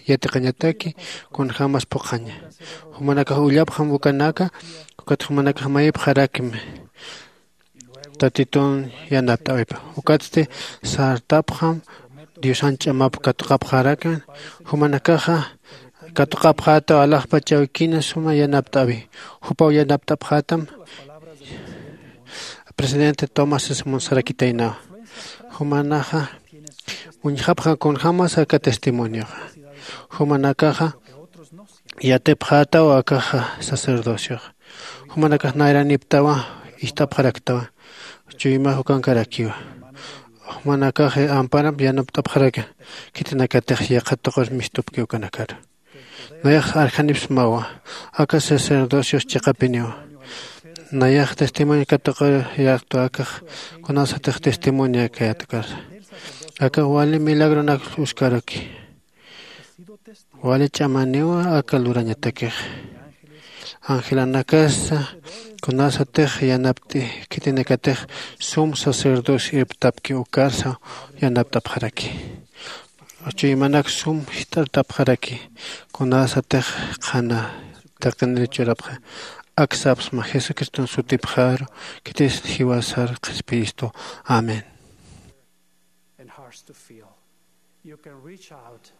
yatiqañataki, kunjämas phuqhaña. Jumanakax ullapxam ukanaka, ukat jumanakax mayipxarakmi. Tatitun yanapt'äwipa. Ukatsti sartapxam Diosan ch'amap katuqapxarakma. Jumanakaxa katuqapxätaw alaxpach awkina suma yanapt'äwi. Jupaw yanapt'apxätam presidente Thomas S. Monson sarakitaynawa. Jumanaxa uñjapxam kunjämas aka testimonioxa. Jumanakaxa yatipxätaw akaxa sacerdocioxa. Jumanakax nayraniptawa, ist'apxaraktawa, chuymax ukankarakiwa. Jumanakax amparamp yanapt'apxaraki, khitinakatix yaqha tuqir mistupki ukanakaru. Nayax arjanipsmawa, aka sacerdocios chiqapiniwa. Nayax testimonio katuqir yaqtu akax kunasatix testimonio kayat ukar. Aka wali milagronak uskaraki. Wali ch'amaniwa aka lurañatakix. Angelanakasa kunasatix yanapt'i khitinakatix sum sacerdocio irptapki ukarsa yanapt'apxaraki. Chuymanak sum jist'artapxaraki kunasatix qhana taqinir churapxa. Ak sapxsma Jesucriston sutipxaru, khitis jiwasar qhispiyistu. Amén. And hearts to feel you can reach out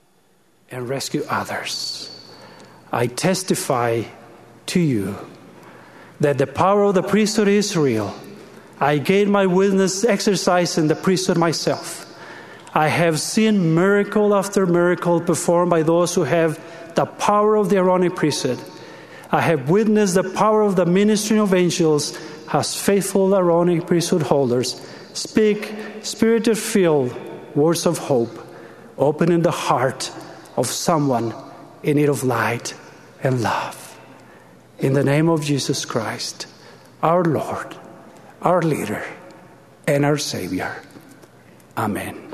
and rescue others. I testify to you that the power of the priesthood is real. I gave my witness exercising the priesthood myself. I have seen miracle after miracle performed by those who have the power of the Aaronic priesthood. I have witnessed the power of the ministry of angels as faithful Aaronic priesthood holders speak spirit-filled words of hope, opening the heart of someone in need of light and love. In the name of Jesus Christ, our Lord, our leader, and our Savior. Amén.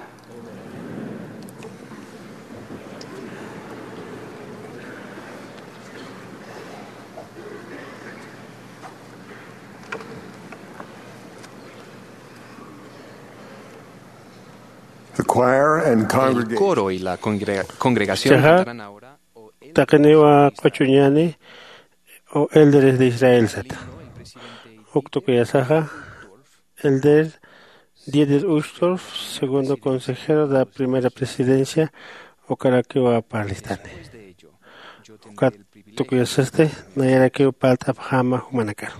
choir and el congregation. Coro y la congrega- congregación Chaja, cantarán ahora, "O el taqiniwa q'uchuñani, o elderes de Israel" sata. Uk tukuyasaxa, elder Dieter Uchtdorf, segundo consejero de la primera presidencia, ukarakiwa parlistani. Ukat tukuyasasti, nayarakiw parlt'apxäma jumanakaru.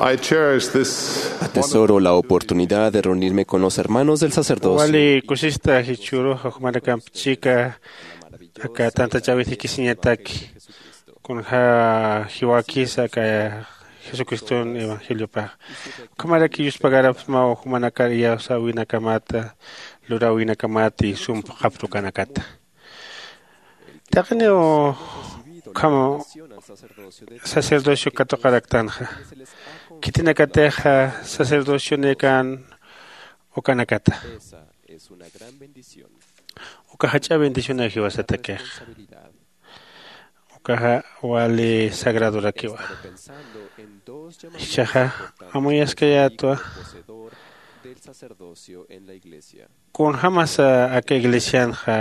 I cherish this Atesoro la oportunidad de reunirme con los hermanos del sacerdocio. Wali kusista jichhüruxa jumanakamp chika aka tantachäwit jikisiñataki, kunja jiwakisa aka Jesucriston evangeliopax. Ukhamaraki yuspagarapxsmaw jumanakar iyawsäwinakamata, luräwinakamata y sump qhaptukanakata. Taqiniw ukham sacerdocio katuqaraktanxa. Khitinakatixa sacerdocionïkan ukanakata. Uka jach'a bendicionaw jiwasatakixa. Ukaxa wali sagradorakiwa. Jichhaxa amuyaskayätwa kunjämasa aka iglesianxa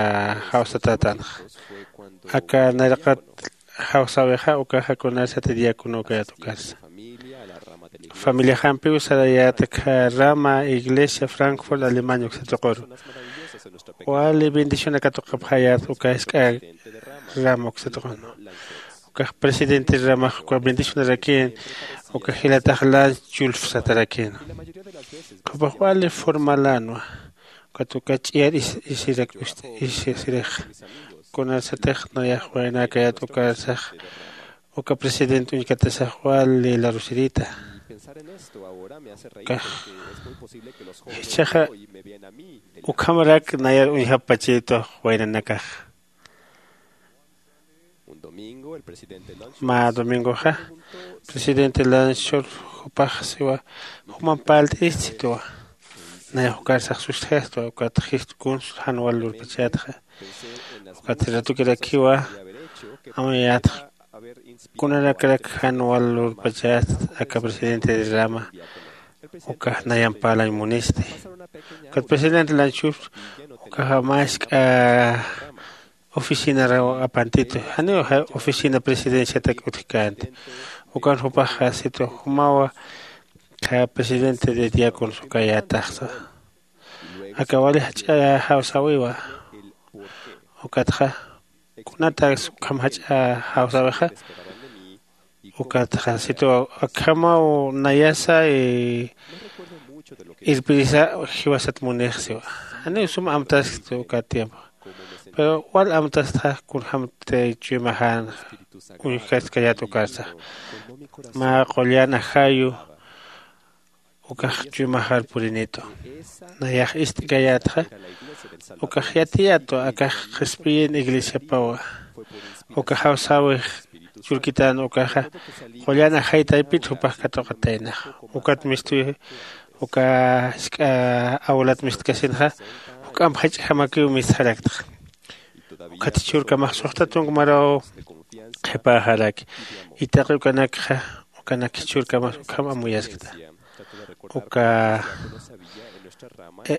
jawsatätanxa. Aka nayraqat jawsäwixa ukaxa kunarsati diácono ukayät ukarsa. Familiaxampiw sarayät aka rama iglesia Frankfurt Alemania uksa tuquru. Wali bendición katuqapxayät uka jisk'a rama uksa tuqunu. Ukax presidente ramax uka bendicionarakïn, uka jilatax Lanz Schulz satarakïn. Jupax wali formalänwa. Ukat uka ch'iyar isirak usirix. Kunarsatix nayax waynakayat ukarsax uka presidente uñkatasax wali larusirita. Ukax jichhaxa ukhamarak nayar uñjapachïtwa waynanakax. Mä domingoxa presidente lanchur jupax siwa jumamp parlt'irist sitwa. Nayax ukarsax sustjastwa ukat jist kunsa jan wal lurpachätxa. Ukat ratukirakiwa amuyätxa kunanakrak jan wal lurpachäst aka presidente de rama ukax nayamp parlañ munisti. Ukat presidente lanchur ukaxa mä jisk'a oficinaraw apantitu janiw oficina presidenciatak utjkänti. Ukan jupax jasitwa jumawa presidente de diáconos ukayätaxsa. Aka wali jach'a jawsäwiwa. Ukatxa kunataks ukham jach'a jawsäwixa. Ukatxa sitwa akhamaw nayasa irpirisa jiwasat munix siwa. Janiw sum amtaskti uka tiempo. Pero wal amtastxa kunjämti chuymaxän uñjkastkayät ukarsax. Mä qullan ajayu ukax chuymaxar purinitu. Nayax ist'kayätxa ukax yatiyätwa akax qhispiyin iglesiapawa. Uka jawsäwix churkitän ukaxa qullan ajay taypit jupax katuqataynax. Ukat mistuy uka jisk'a awlat mistkasinxa juk'amp jach'jamakiw mistxaraktxa. Ukat jichhürkamax suxta tunk maraw qhipäxaraki. Y taqi ukanakxa ukanak jichhürkamas ukham amuyaskta. Uka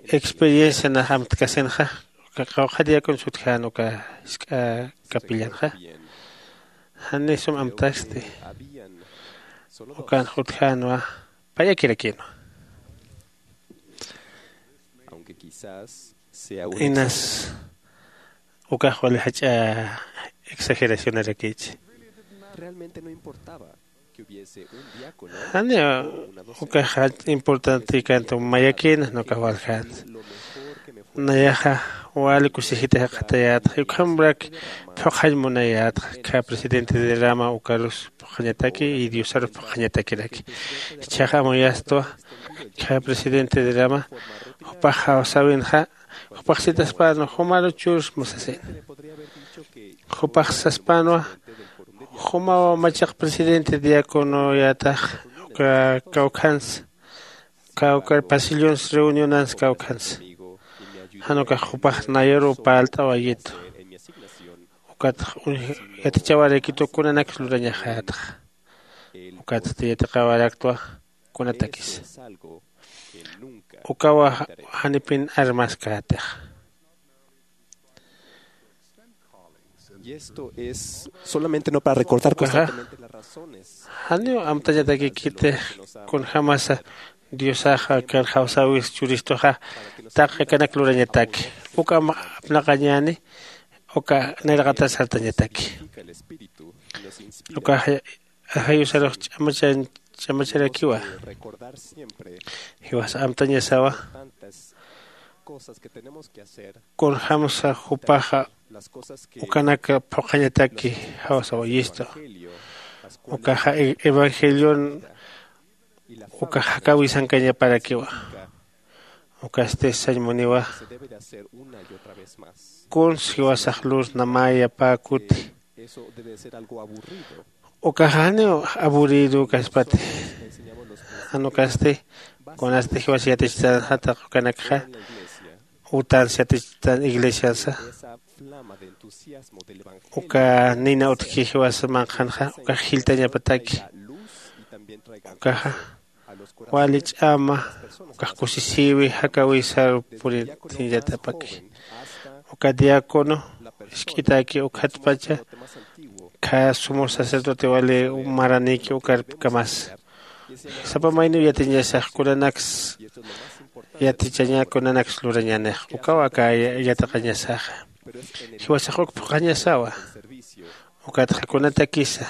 experiencia nax amtkasinxa uka qawqha diáconos utjän uka jisk'a capillanxa. Jani sum amtasti ukanx utjänwa. Payakirakinwa. Inas ukax wali jach'a exageracionarakïchi. Janiw ukax jach'a importante käntu mayakïna nukax waljänsa. Nayaxa wali kusisita jikxatayätxa ukhamrak phuqhañ munayätxa. Kha presidente de rama ukarus phuqhañataki y diosarus phuqhañatakiraki. Jichhaxa amuyastwa kha presidente de rama jupax jawsäwinxa jupax sitaspänwa jumaru churus musasin. Jupax saspänwa jumaw machaq presidente diaconoyätax uka kawkhansa kawkar pasillons reunionans kawkhansa. Jan ukax jupax nayaruw parlt'awayitu. Ukatx yatichawarakitu kunanaksa lurañaxätxa. Ukatsti yatiqawaraktwa kunatakisa. Ukawa janipin armaskätix. Solamente no para recordar constantemente las razones. Janiw amtañatakikiti kunjämasa diosaxa kan jawsäwis churistuxa taqi akanak lurañataki. Uka apnaqañäni uka nayraqatas sartañataki. Ukaxa ajayusarux ch'amacharakiwa. Jiwasa amtañasawa kunjämsa jupaxa ukanak phuqhañataki jawsawayistu. Ukaxa evangelion ukax jakäwisankañaparakiwa. Ukasti sañmuniwa kuns jiwasax lur namäyapäkuti. Ukax janiw aburrido kaspati. Jan ukasti kunasti jiwas yatichtänxa taq ukanakxa utansa yatichtän iglesiansa uka nina utjki jiwas manqhanxa ukax jilltañapataki. Ukaxa wali ch'ama ukax kusisïwi jakäwisaru puritiñatapaki. Uka diácono isk'itaki ukhatpacha khä sumo sacerdote wali maranïki ukarkamas. Sapa mayniw yatiñasax kunanaks yatichaña kunanaks lurañänix ukaw aka yatiqañasaxa. Jiwasax uk phuqhañasawa. Ukatxa kunatakisa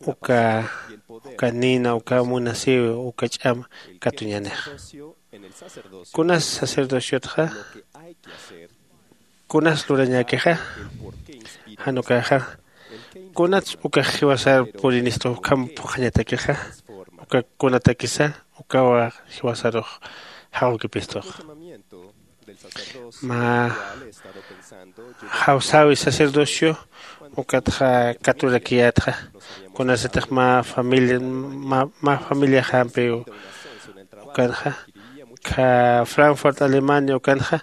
uka uka nina uka munasiw uka ch'am katuñanixa. Kunas sacerdociotxa kunas lurañäkixa? Jan ukaxa kunats ukax jiwasar purinistux ukham phuqhañatakixa? Uka kunatakisa ukawa jiwasarux jawkipistux? Mä jawsäwi sacerdocio ukatxa katurakiyätxa. Kunasatix mä familia mä familiaxampiw ukanxa kha frankfurt alemania ukanxa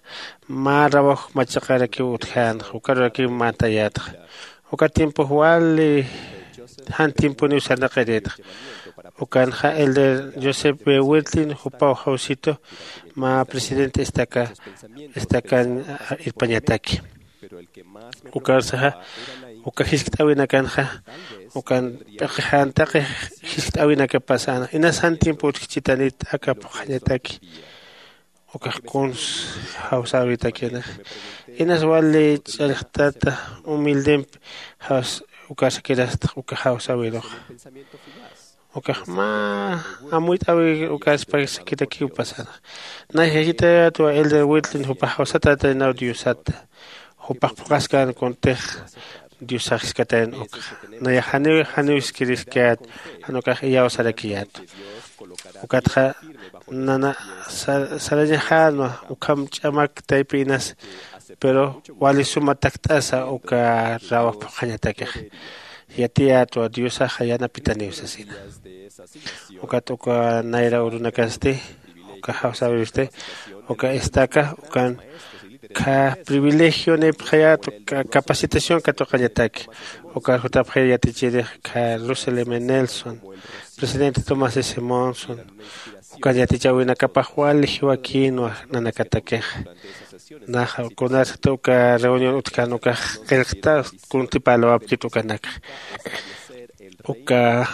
mä rawaj machaqarakiw utjänxa ukarurakiw mantayätxa. Uka tiempox wali jan tiemponiw sarnaqirïtxa. Ukanxa elder joseph b wirtlin jupaw jawsitu mä presidente estaca estacan irpañataki. Ukarsaxa uka jiskt'äwinakanxa ukan p'iqi jan taqi jiskt'äwinakapas jänxa inas jan tiempo utjchitanit aka phuqhañataki. Ukax kuns jawsäwitakïnix inas wali ch'allxtata humildempi ukarsakirastx uka jawsäwiruxa. Ukax mä amuyt'äwir ukarspaksakirakiw pasänxa. Nay jayjitayätwa elder wirtlin jupax jawsatätaynaw diosata jupax phuqhaskän kuntix diosax jiskatayna ukxa. Nayax janiw janiw jiskiriskät jan ukax iyawsarakiyätwa. Ukatxa nana sarañaxänwa ukham ch'amak taypi inas pero wali suma takt'asa uka rawaj phuqhañatakix. Yatiyätwa diosaxa yanapitaniw sasina. Ukat uka nayra urunakasti uka jawsäwirsti uka estaca ukan kha privilegionipxayät uka capacitación katuqañataki. Ukar jutapxay yatichirix kha russell m nelson presidente tomás s monson ukan yatichäwinakapax wali jiwakïnwa nanakatakixa. Naxa kunasat uka reunión utjkän ukax qillqta kuntipalawapkit ukanakxa. Uka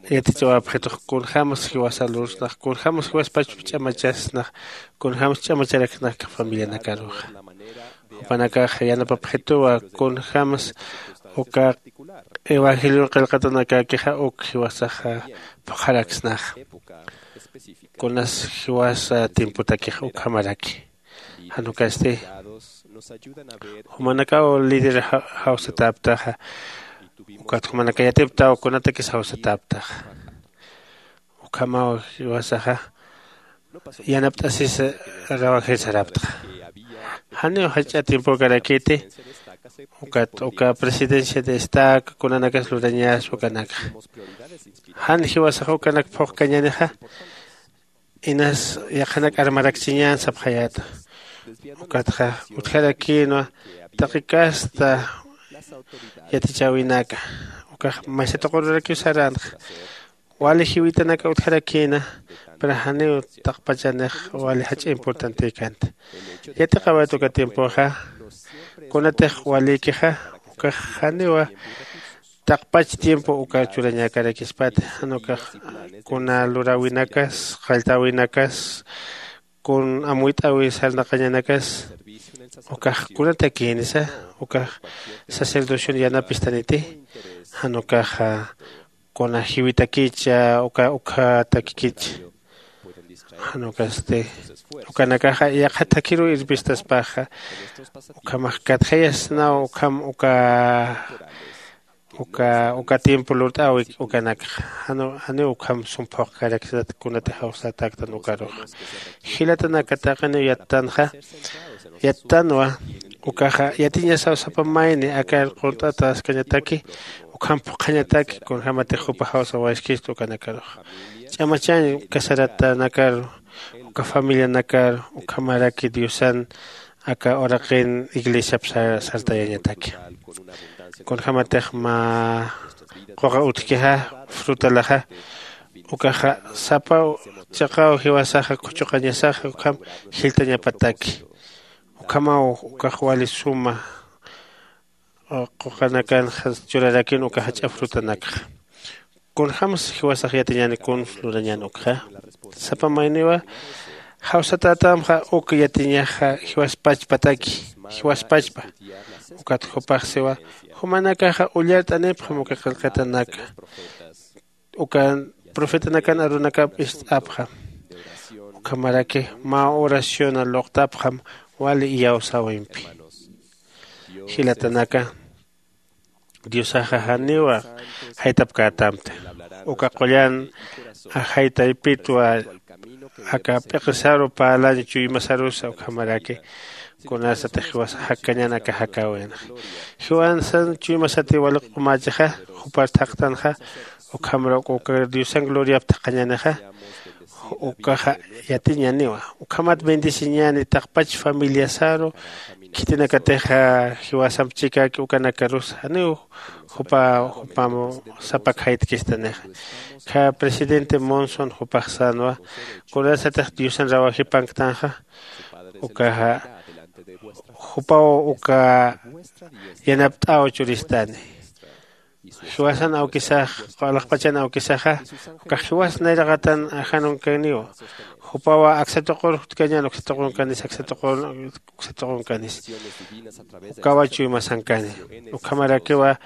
yatichawapxitux kunjämas jiwasa lursnax kunjämas jiwaspach ch'amachasnax kunjämas ch'amacharaksnax familianakaruxa. Jupanakax yanapapxituwa kunjämas uka evangelion qillqatanakäkixa uk jiwasaxa phuqharaksnaxa. Kunas jiwasa tiempotakixa ukhamaraki jan ukasti jumanakaw líder jawsatäptaxa. Ukat jumanaka yatiptaw kunatakis jawsatäptaxa. Ukhamaw jiwasaxa yanapt'asis rawajir saraptxa. Janiw jach'a tiempokarakiti ukat uka presidencia de estaca kunanakas lurañäswa ukanakxa. Jan jiwasax ukanak phuqkañänixa inas yaqhanak armarakchiñän sapxayäta. Ukatxa utjarakïnwa taqi kasta yatichäwinaka ukax maysa tuqururakiw saränxa. Wali jiwitanaka utjarakïna pero janiw taqpachanix wali jach'a importantekänti. Yatiqawayt uka tiempoxa kunatix walïkixa ukax janiwa taqpach tiempo uka churañäkarakispat jan ukax kuna luräwinakas qalltäwinakas kun amuyt'äwi sarnaqañanakas ukax kunatakïnisa ukax sacerdocion yanapistaniti jan ukaxa kuna jiwitakïcha uka ukhatakikïcha jan ukasti ukanakaxa yaqha thakiruw irpistaspaxa ukhamax katjayasnaw ukham uka uka uka tiempo lurt'äwi ukanakxa. Janiw ukham sum phuqkaraksat kunatix jawsatäktan ukaruxa. Jilatanaka taqiniw yattanxa yattanwa ukaxa yatiñasaw sapa mayni akar qunt'ataskañataki ukham phuqhañataki kunjämatix jupa jawsawayaskistu ukanakaruxa. Ch'amachañ casaratanakaru uka familianakaru ukhamaraki diosan aka uraqin iglesiap sartayañataki. Kunjämatix mä quqa utjkixa frutalaxa ukaxa sapa chiqaw jiwasaxa khuchuqañasaxa ukham jilltañapataki. Ukhamaw ukax wali suma quqanakanxa churarakïn uka jach'a frutanakxa. Kunjämsa jiwasax yatiñäni kun lurañän ukxa? Sapa mayniwa jawsatätamxa uk yatiñaxa jiwaspachpataki jiwaspachpa. Ukat jupax siwa, jumanakaxa ullart'anipxam uka qillqatanaka, ukan profetanakan arunakap ist'apxam. Ukhamaraki mä oraciona luqtapxam wali iyawsäwimpi. Jilatanaka, diosaxa janiwa jaytapkätamta. Uka qullan ajay taypitwa aka p'iqisaru parlañ chuymasarusa ukhamaraki kunasatix jiwasa jakkañan aka jakäwinxa. Jiwasan chuymasati wali q'umächixa, jupar thaqtanxa, ukhamar uka diosan gloriap thaqhañänixa, ukaxa yatiñäniwa. Ukhamat bendeciñäni taqpach familiasaru, khitinakatixa jiwasamp chikäki ukanakarusa janiw jupa jupam sapak jaytkistanixa. Kha presidente Monson jupax sänwa, kunasatix diosan rawajipanktanxa, ukaxa jupaw uka yanapt'äw churistani. Jiwasan awkisax, alaxpachan awkisaxa, ukax jiwas nayraqatan ajanunkaniwa. Jupawa aksa tuqur jutkañän, uksa tuqunkanis, aksa tuqur uksa tuqunkanis, ukawa chuymasankani. Ukhamarakiwa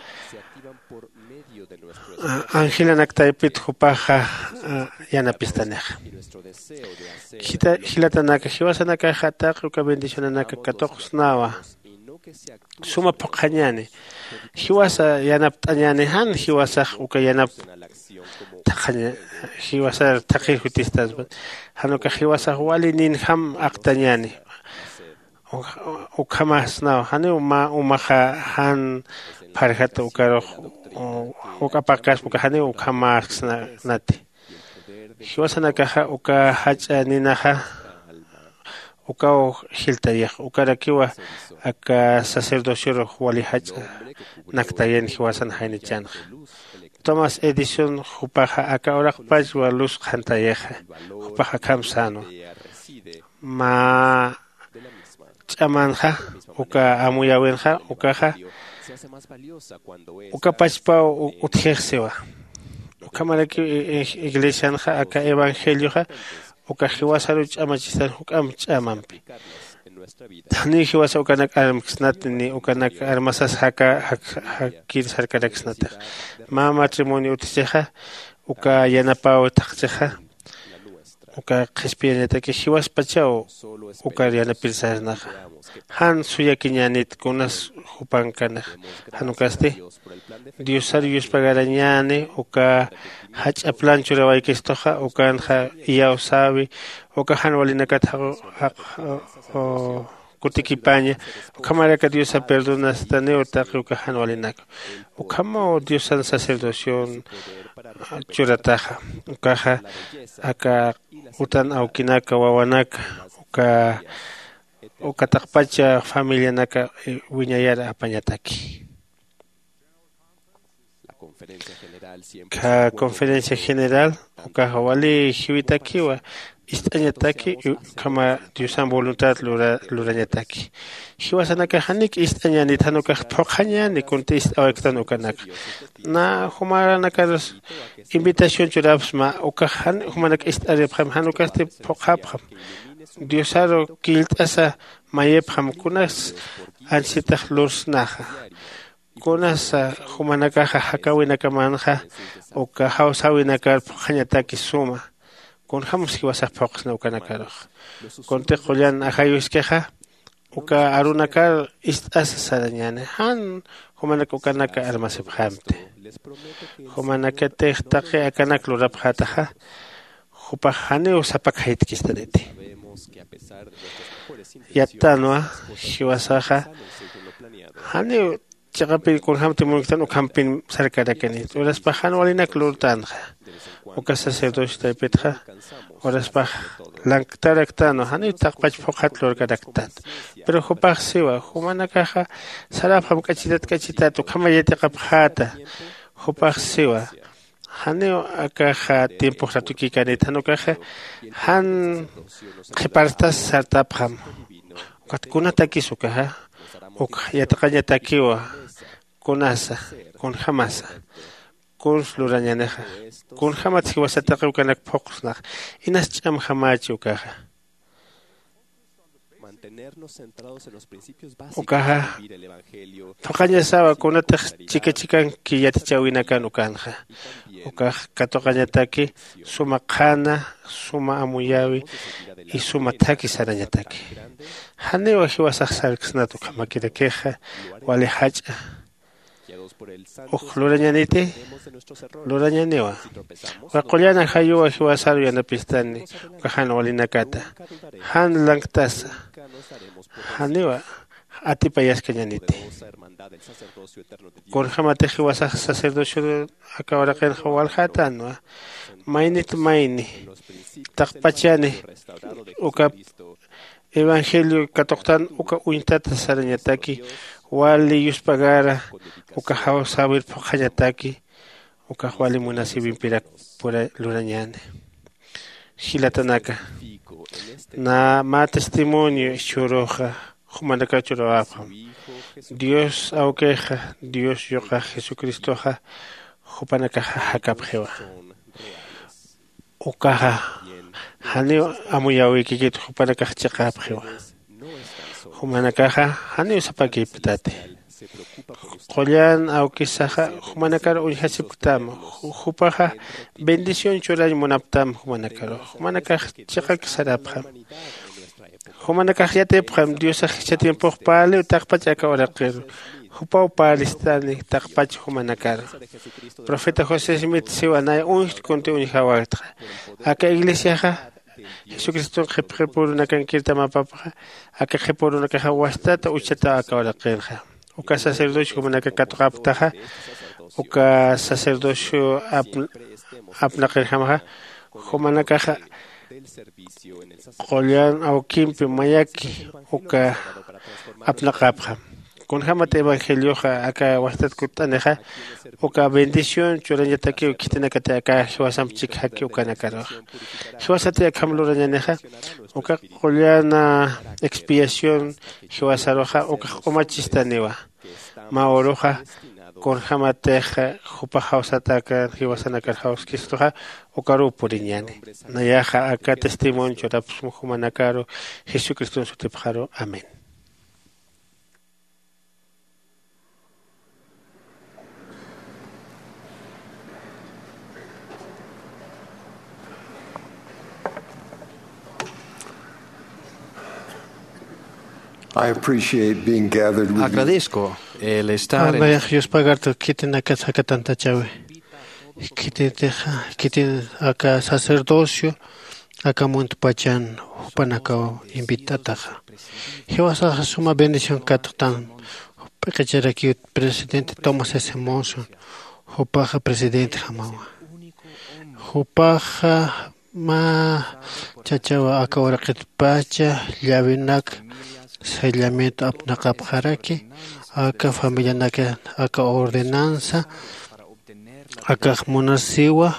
angelanak taypit jupaxa yanapistanixa. Jilatanaka, jiwasanakaxa taqi uka bendicionanaka katuqsnawa, suma phuqhañäni, jiwasa yanapt'añäni, jan jiwasax uka yanap thaqhaña, jiwasar thaqhir jutistaspan, jan ukax jiwasax wali ninjam aqtañäni. Ukhamasnaw janiw mä umaxa jan pharjat ukarux juk'apaqkaspa uka janiw ukhamasknati. Jiwasanakaxa uka jach'a ninaxa ukaw jiltayix, ukarakiwa aka sacerdociorux wali jach'a naktayan jiwasan jaynichänxa. Thomas Edison jupaxa aka uraqpachwa luz qhantayixa. Jupax akham sänwa, mä ch'amanxa, uka amuyäwinxa ukaxa uka pachpaw utjix siwa. Ukhamarakiw iglesianxa aka evangelioxa uka jiwasaru ch'amachistan juk'amp ch'amampi. Janiw jiwasa ukanak armksnati ni ukanak armasas jaka jakkir sarkaraksnatix. Mä matrimonio utjchixa, uka yanapäw thaqchixa, uka qhispiyañataki jiwaspachaw ukar yanapir sarnaxa. Jan suyakiñänit kunas jupankanix. Jan ukasti diosar yuspagarañäni uka jach'a plan churawaykistuxa ukanxa iyawsäwi, uka jan walinakat jaqu jaqu kutikipaña. Ukhamaraka diosa perdonastaniw taqi uka jan walinaka. Ukhamaw diosan sacerdocion churataxa. Ukaxa aka utan awkinaka wawanaka uka uka taqpacha familianaka wiñayar apañataki. Kha conferencia general ukaxa wali jiwitakiwa ist'añataki ukhama diosan voluntad lurañataki. Jiwasanakax janik ist'añänit jan ukax phuqhañäni kunti ist'awaykutan ukanaka. Na jumanakar invitación churapxsma ukax jan jumanak ist'aripxam jan ukasti phuqhapxam. Diosaru killt'asa mayipxam kunas anchitax lursnaxa. Kunasa jumanakaxa jakäwinakamanxa uka jawsäwinakar phuqhañataki suma. Kunjämsa jiwasax phuqsna ukanakarux. Kunti qullan ajaywiskixa uka arunakar ist'asa sarañäni jan jumanak ukanaka armasipxamti. Jumanakatix taqi akanak lurapxätaxa jupax janiw sapak jaytkistaniti. Yattanwa jiwasaxa janiw chiqapin kunjämti munktan ukhampin sarkarakanit uraspax jan walinak lurtänxa. Uka sacerdocio taypitxa uraspax lanktaraktanwa janiw taqpach phuqhat lurkaraktan. Pero jupax siwa jumanakaxa sarapxam k'achitat k'achitat ukhama yatiqapxäta. Jupax siwa janiw akaxa tiempox ratukikanit jan ukaxa jan qhiparstas sartapxam. Ukat kunatakis ukaxa uk yatiqañatakiwa kunasa kunjämasa kuns lurañänixa. Kunjämat jiwasataqi ukanak phuqsnax inas ch'amjamächi ukaxa. Ukaxa thuqañasawa kunatix chika chikanki yatichäwinakan ukanxa. Ukax katuqañataki suma qhana, suma amuyäwi y suma thaki sarañataki. Janiwa jiwasax sarksnat ukhamakirakix wali jach'a uk lurañaniti. Lurañaniwa. Uka qullan ajayuwa jiwasaru yanapistani uka jan walinakata. Jan lanktasa. Janiwa atipayaskañaniti. Kunjämatix jiwasax sacerdocio aka uraqinxa waljätänwa. Maynit mayni taqpachani uka evangelio katuqtan uka uñtata sarañataki wali yuspagara uka jawsäwir phuqhañataki ukax wali munasïwimpirak pura lurañäni. Jilatanaka, nä mä testimonio jichhüruxa jumanakaw churäwapxam. Dios awkixa, Dios yuqax jesucristoxa jupanakaxa jakapxiwa. Ukaxa janiw amuyäwikikit jupanakax chiqapxiwa. Jumanakaxa janiw sapakipktati. Qullan awkisaxa jumanakar uñjasipktam. Jupaxa bendición churañ munaptam jumanakaru. Jumanakax chiqak sarapxam. Jumanakax yatipxam diosax jichha tiempox parliw taqpach aka uraqiru. Jupaw parlistani taqpach jumanakaru. Profeta josé smith siwa nay uñjt kunti uñjawäktxa. Aka iglesiaxa jesucriston qhipqipurunakankirtamapapxa aka qhipurunakaxa wastata uchata aka uraqinxa. Uka sacerdocio jumanaka katuqapktaxa uka sacerdocio apnaqirjamaxa jumanakaxa qullan awkimpi mayaki uka apnaqapxam. Kunjämat evangelioxa aka wastat kutt'anixa uka bendición churañatakiw khitinakati aka jiwasamp chikjaki ukanakaruxa. Jiwasati akham lurañanixa uka qullan expiación jiwasaruxa ukax q'umachistaniwa. Mä uruxa kunjämatix jupax jawsatakan jiwasanakar jawskistuxa ukaruw puriñäni. Nayaxa aka testimonio churapxsma jumanakaru jesucriston sutipxaru. Amén. I appreciate being gathered with you. Agradezco el estar en... Nayax yuspagartu khitinakat jakatantachäwi. Khititixa khitin aka sacerdocio aka muntpachan jupanakaw invitataxa. Jiwasaxa suma bendición katxtan. P'iqicharakiw presidente tomás s monson. Jupaxa presidentjamawa. Jupaxa mä chachawa aka uraqitpacha llawinak sellamiento apnaqapxaraki aka familianaka aka ordenanza akax munasiwa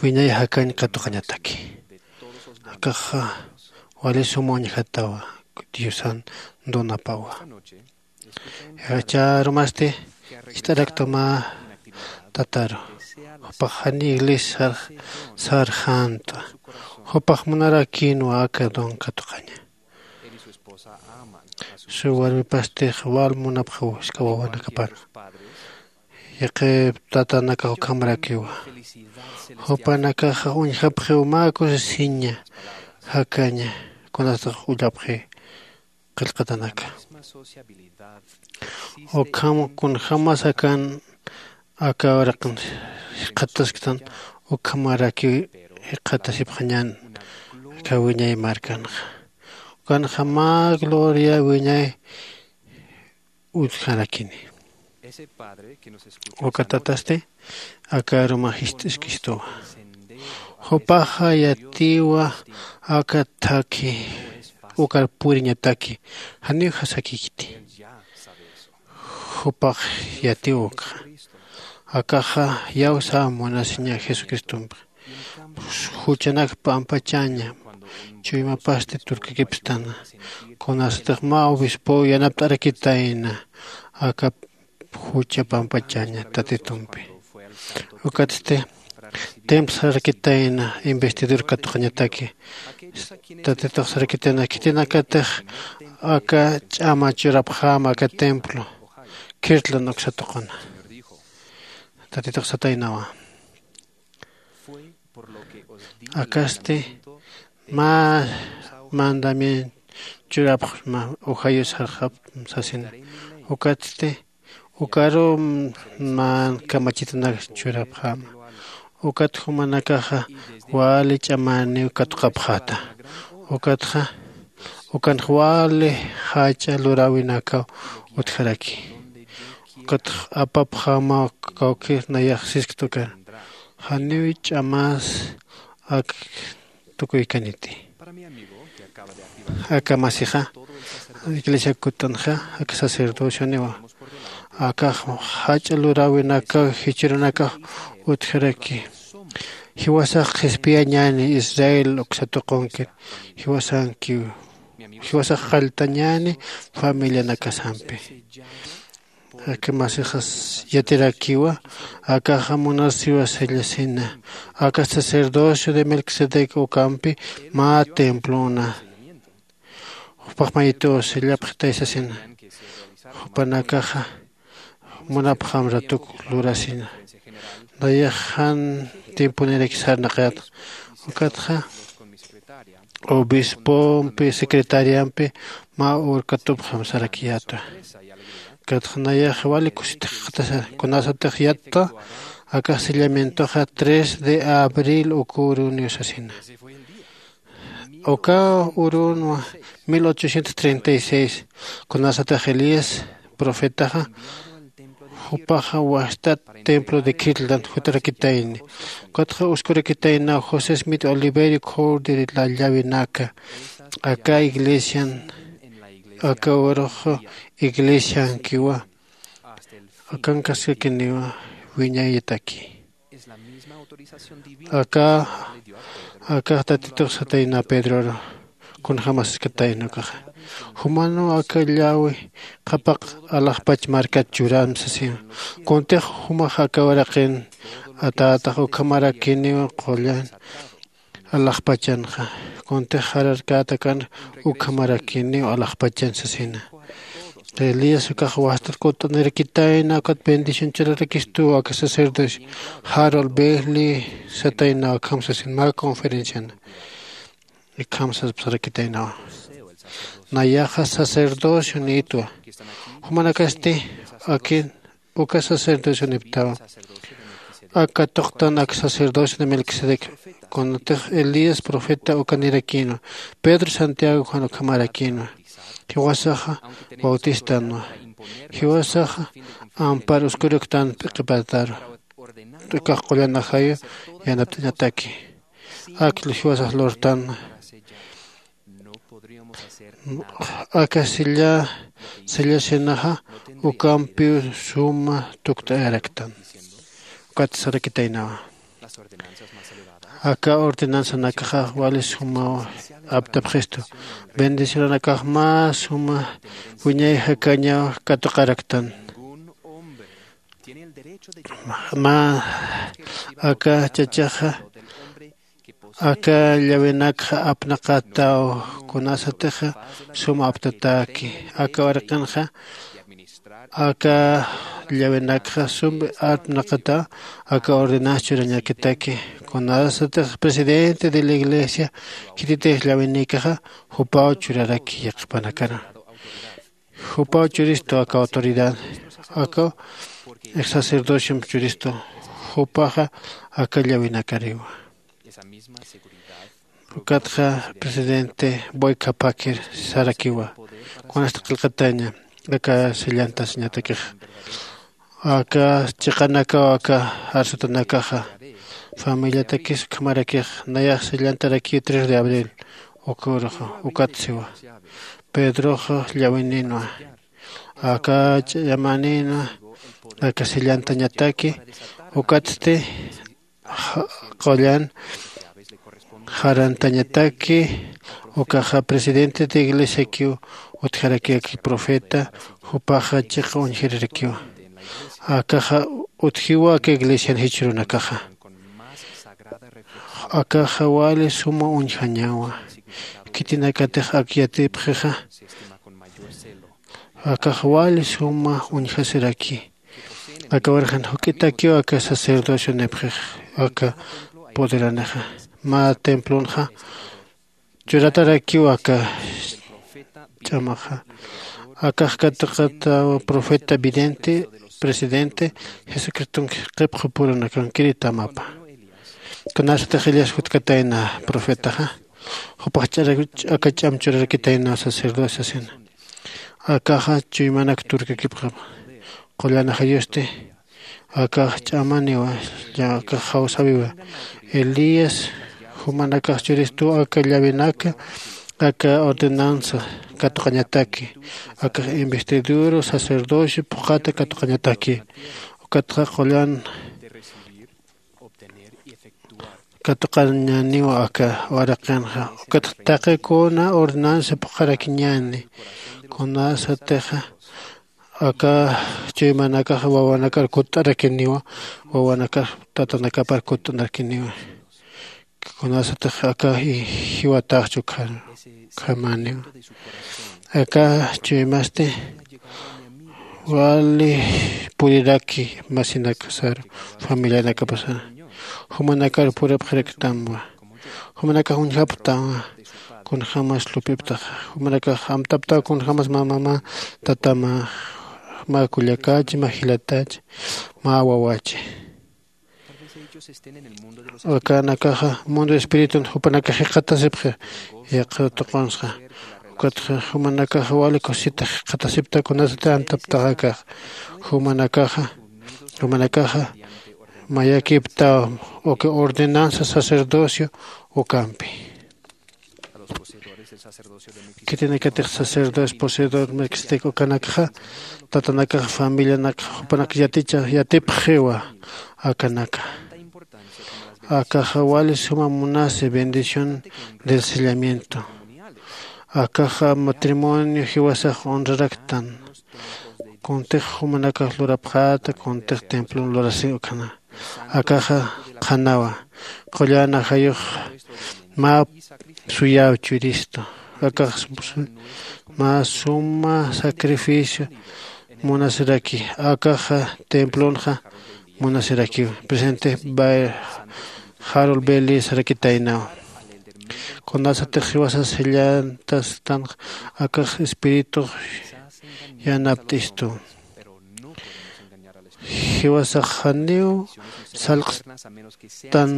wiñay jakañ katuqañataki. Akaxa wali suma uñjatawa diosan donapawa. Chärumasti ist'arakta mä tataru jupax jani iglesia sarxänta. Jupax munarakïnwa aka don katuqaña. Su warmipastix wal munapxaw jisk'a wawanakapana. Yaqhip tatanakax ukhamarakiwa. Jupanakaxa uñjapxiw mä kusisiña jakaña kunasatix ullapxi qillqatanaka. Ukham kunjämas akan aka uraqin jikxatasktan ukhamarakiw jikxatasipxañän aka wiñay markanxa. Ukanxa mä gloria wiñay utjarakini. Uka tatasti aka aruma jist'iskistuwa. Jupaxa yatiwa aka thakhi ukar puriñataki janiw jasakikiti. Jupax yatiwa ukxa. Akaxa iyawsa munasiña jesucristompi. Juchanak pampachaña chuymapasti turkakipstana. Kunasatix mä obispow yanapt'arakitayna aka jucha pampachaña tatitumpi. Ukatsti templo sarakitayna investidor katuqañataki. Tatitux sarakitayna khitinakatix aka ch'ama churapxäma aka templo kirtlan uksatuquna. Tatitux sataynawa, akasti mä mandamiento churapxma, ujayu sarxapxma sasina. Ukatsti ukaru mä kamachitanak churapxäma. Ukat jumanakaxa wali ch'amäniw katuqapxäta. Ukatxa ukanx wali jach'a luräwinakaw utjaraki. Ukatx apapxämaw kawkir nayax sisktukan, janiw ch'amas ak tukuykaniti. Aka masixa iglesia kutt'anxa aka sacerdocioniwa. Akax jach'a luräwinakaw jichhürunakax utjaraki. Jiwasax qhispiyañäni Israel uksa tuqunkir. Jiwasankiw jiwasax qalltañäni familianakasampi. Aka masixas yatirakiwa. Akaxa munasiwa sellasina aka sacerdocio de Melquisedec ukampi mä templona. Jupax mayituw sellapxitay sasina. Jupanakaxa munapxam ratuk lurasina. Nayax jan tiemponiraki sarnaqayät. Ukatxa obispompi secretariampi mä ur katupxam sarakiyätwa. Ukatxa nayax wali kusitxatasa kunasatix yatta aka sellamientoxa tres de abril ukuruniw sasina. Uka urunwa mil ochocientos treinta y seis kunasatix Elías profetaxa jupaxa wastat templo de kirtlan jutarakitayni. Ukatxa uskurakitaynaw José Smith Oliverio Cordero llawinaka aka iglesian. Aka urux iglesiankiwa akankaskakiniwa wiñayataki. Aka akax tatitux satayna pedroru kunjämas saskatayna ukaxa. Jumanwa aka llawi qhapaq alaxpach markat churäm sasina. Kuntix jumax aka waraqin atätax ukhamarakiniw qullan alaxpachanxa. Kuntix jararkätakan ukhamarakiniw alaxpachan sasina. Elías ukax wastat kutt'anirakitayna ukat bendición churarakistuw aka sacerdocio Harold Bailey satayna ukham sasin mä conferenciana. Ikham sasipsarakitaynawa. Nayaxa sacerdocio niyitwa. Jumanakasti akin uka sacerdocio niptawa. Aka tuqtan ak sacerdocio de Melquisedec kunatix Elías profeta uka nirakïnwa. Pedro Santiago Juan ukhamarakïnwa. Jiwasaxa bautistanwa. Jiwasaxa ampar uskuruktan p'iqipataru. Ukax qullan ajayu yanapt'añataki. Ak jiwasax lurtan aka silla sillasinaxa ukampiw suma tukt'ayaraktan. Ukat sarakitaynawa. Aka ordenanzanakaxa wali sumaw aptapxistu. Bendicionanakax mä suma wiñay jakañaw katuqaraktan. Mä aka chachaxa aka llawinakxa apnaqataw kunasatixa sum aptatäki. Aka waraqinxa aka llawinakxa sum apnaqataw aka ordenanza churañakitaki. Kunasatix presidente de la iglesia khititix llawinïkaxa jupaw churaraki yaqhipanakana. Jupaw churistu aka autoridad aka sacerdociomp churistu. Jupaxa aka llawinakariwa. Ukatxa presidente boycapakir sarakiwa kunasta qillqataña aka sellantasiñatakix aka chiqanakaw aka arsutanakaxa familiatakis ukhamarakix nayax sellantarakiw tres de abril. Uka uruxa ukat siwa pedroxa llawinïnwa aka ch'amanïnwa aka sellantañataki. Ukatsti qullan jarantañataki ukaxa presidente de iglesiakiw utjaraki aka profeta jupaxa chiqa uñjirirakiwa. Akaxa utjiwa aka iglesian jichhürunakaxa. Akaxa wali suma uñjañawa khitinakatix ak yatipxixa Akax wali suma uñjasiraki. Aka urxan juk'itakiw aka sacerdocio nipxix aka poderanixa. Mä templonxa churatarakiw aka ch'amaxa. Akax katuqataw profeta vidente, presidente jesucristonki qipxu purunakankiri tamapa. Kunasatix elias jutkatayna profetaxa jupax ch'ara aka ch'am churarakitayna sacerdocio sina. Akaxa chuymanak turkakipxama. Qullan ajayusti akax ch'amaniwa. Akax jawsawiwa. Elías jumanakax churistuw aka llavenaka aka ordenanza katuqañataki. Akax investidura sacerdocio phuqhata katuqañataki. Ukatxa qullan katuqañaniwa aka waraqinxa. Ukatxa taqi kuna ordenanza phuqharakiñani. Kunasatixa aka chuymanakax wawanakar kutt'arakiniwa. Wawanakar tatanakapar kutt'anarkiniwa. Kunasatix aka jiwataxchu khamaniwa. Aka chuymasti wali puriraki masinakasaru familianakapasa. Jumanakar purapxaraktamwa. Jumanakax uñjapxtawa. Kunjämas lupiptaxa jumanakax amtaptaw kunjämas mamamä tatamä mä kullakachi mä jilatachi mä wawachi. Akanakaxa mundo espiritun jupanakax jikxatasipxi. Yaqha tuqunsxa ukatxa jumanakaxa wali kusita jikxatasipta kunasati amtaptaxakax. Jumanakaxa jumanakaxa mayakiptaw uka ordenanza sacerdocio ukampi. Khitinakatix sacerdocio poseedor melquisedec ukanakxa tatanakax familianakax jupanak yaticha yatipxiwa. Akanaka akaxa wali suma munasi bendición del sellamiento. Akaxa matrimonio jiwasax honraraktan. Kuntix jumanakax lurapxäta kuntix templon lurasi ukhana. Akaxa qhanawa qullan ajayux mä suyäw churistu. Akax mä suma sacrificio munasiraki. Akaxa templonxa munasirakiw. Presente bay jarol beli sarakitaynaw. Kunasatix jiwasas jillantastanx akax espiritux yanapt'istu. Jiwasax janiw salqstan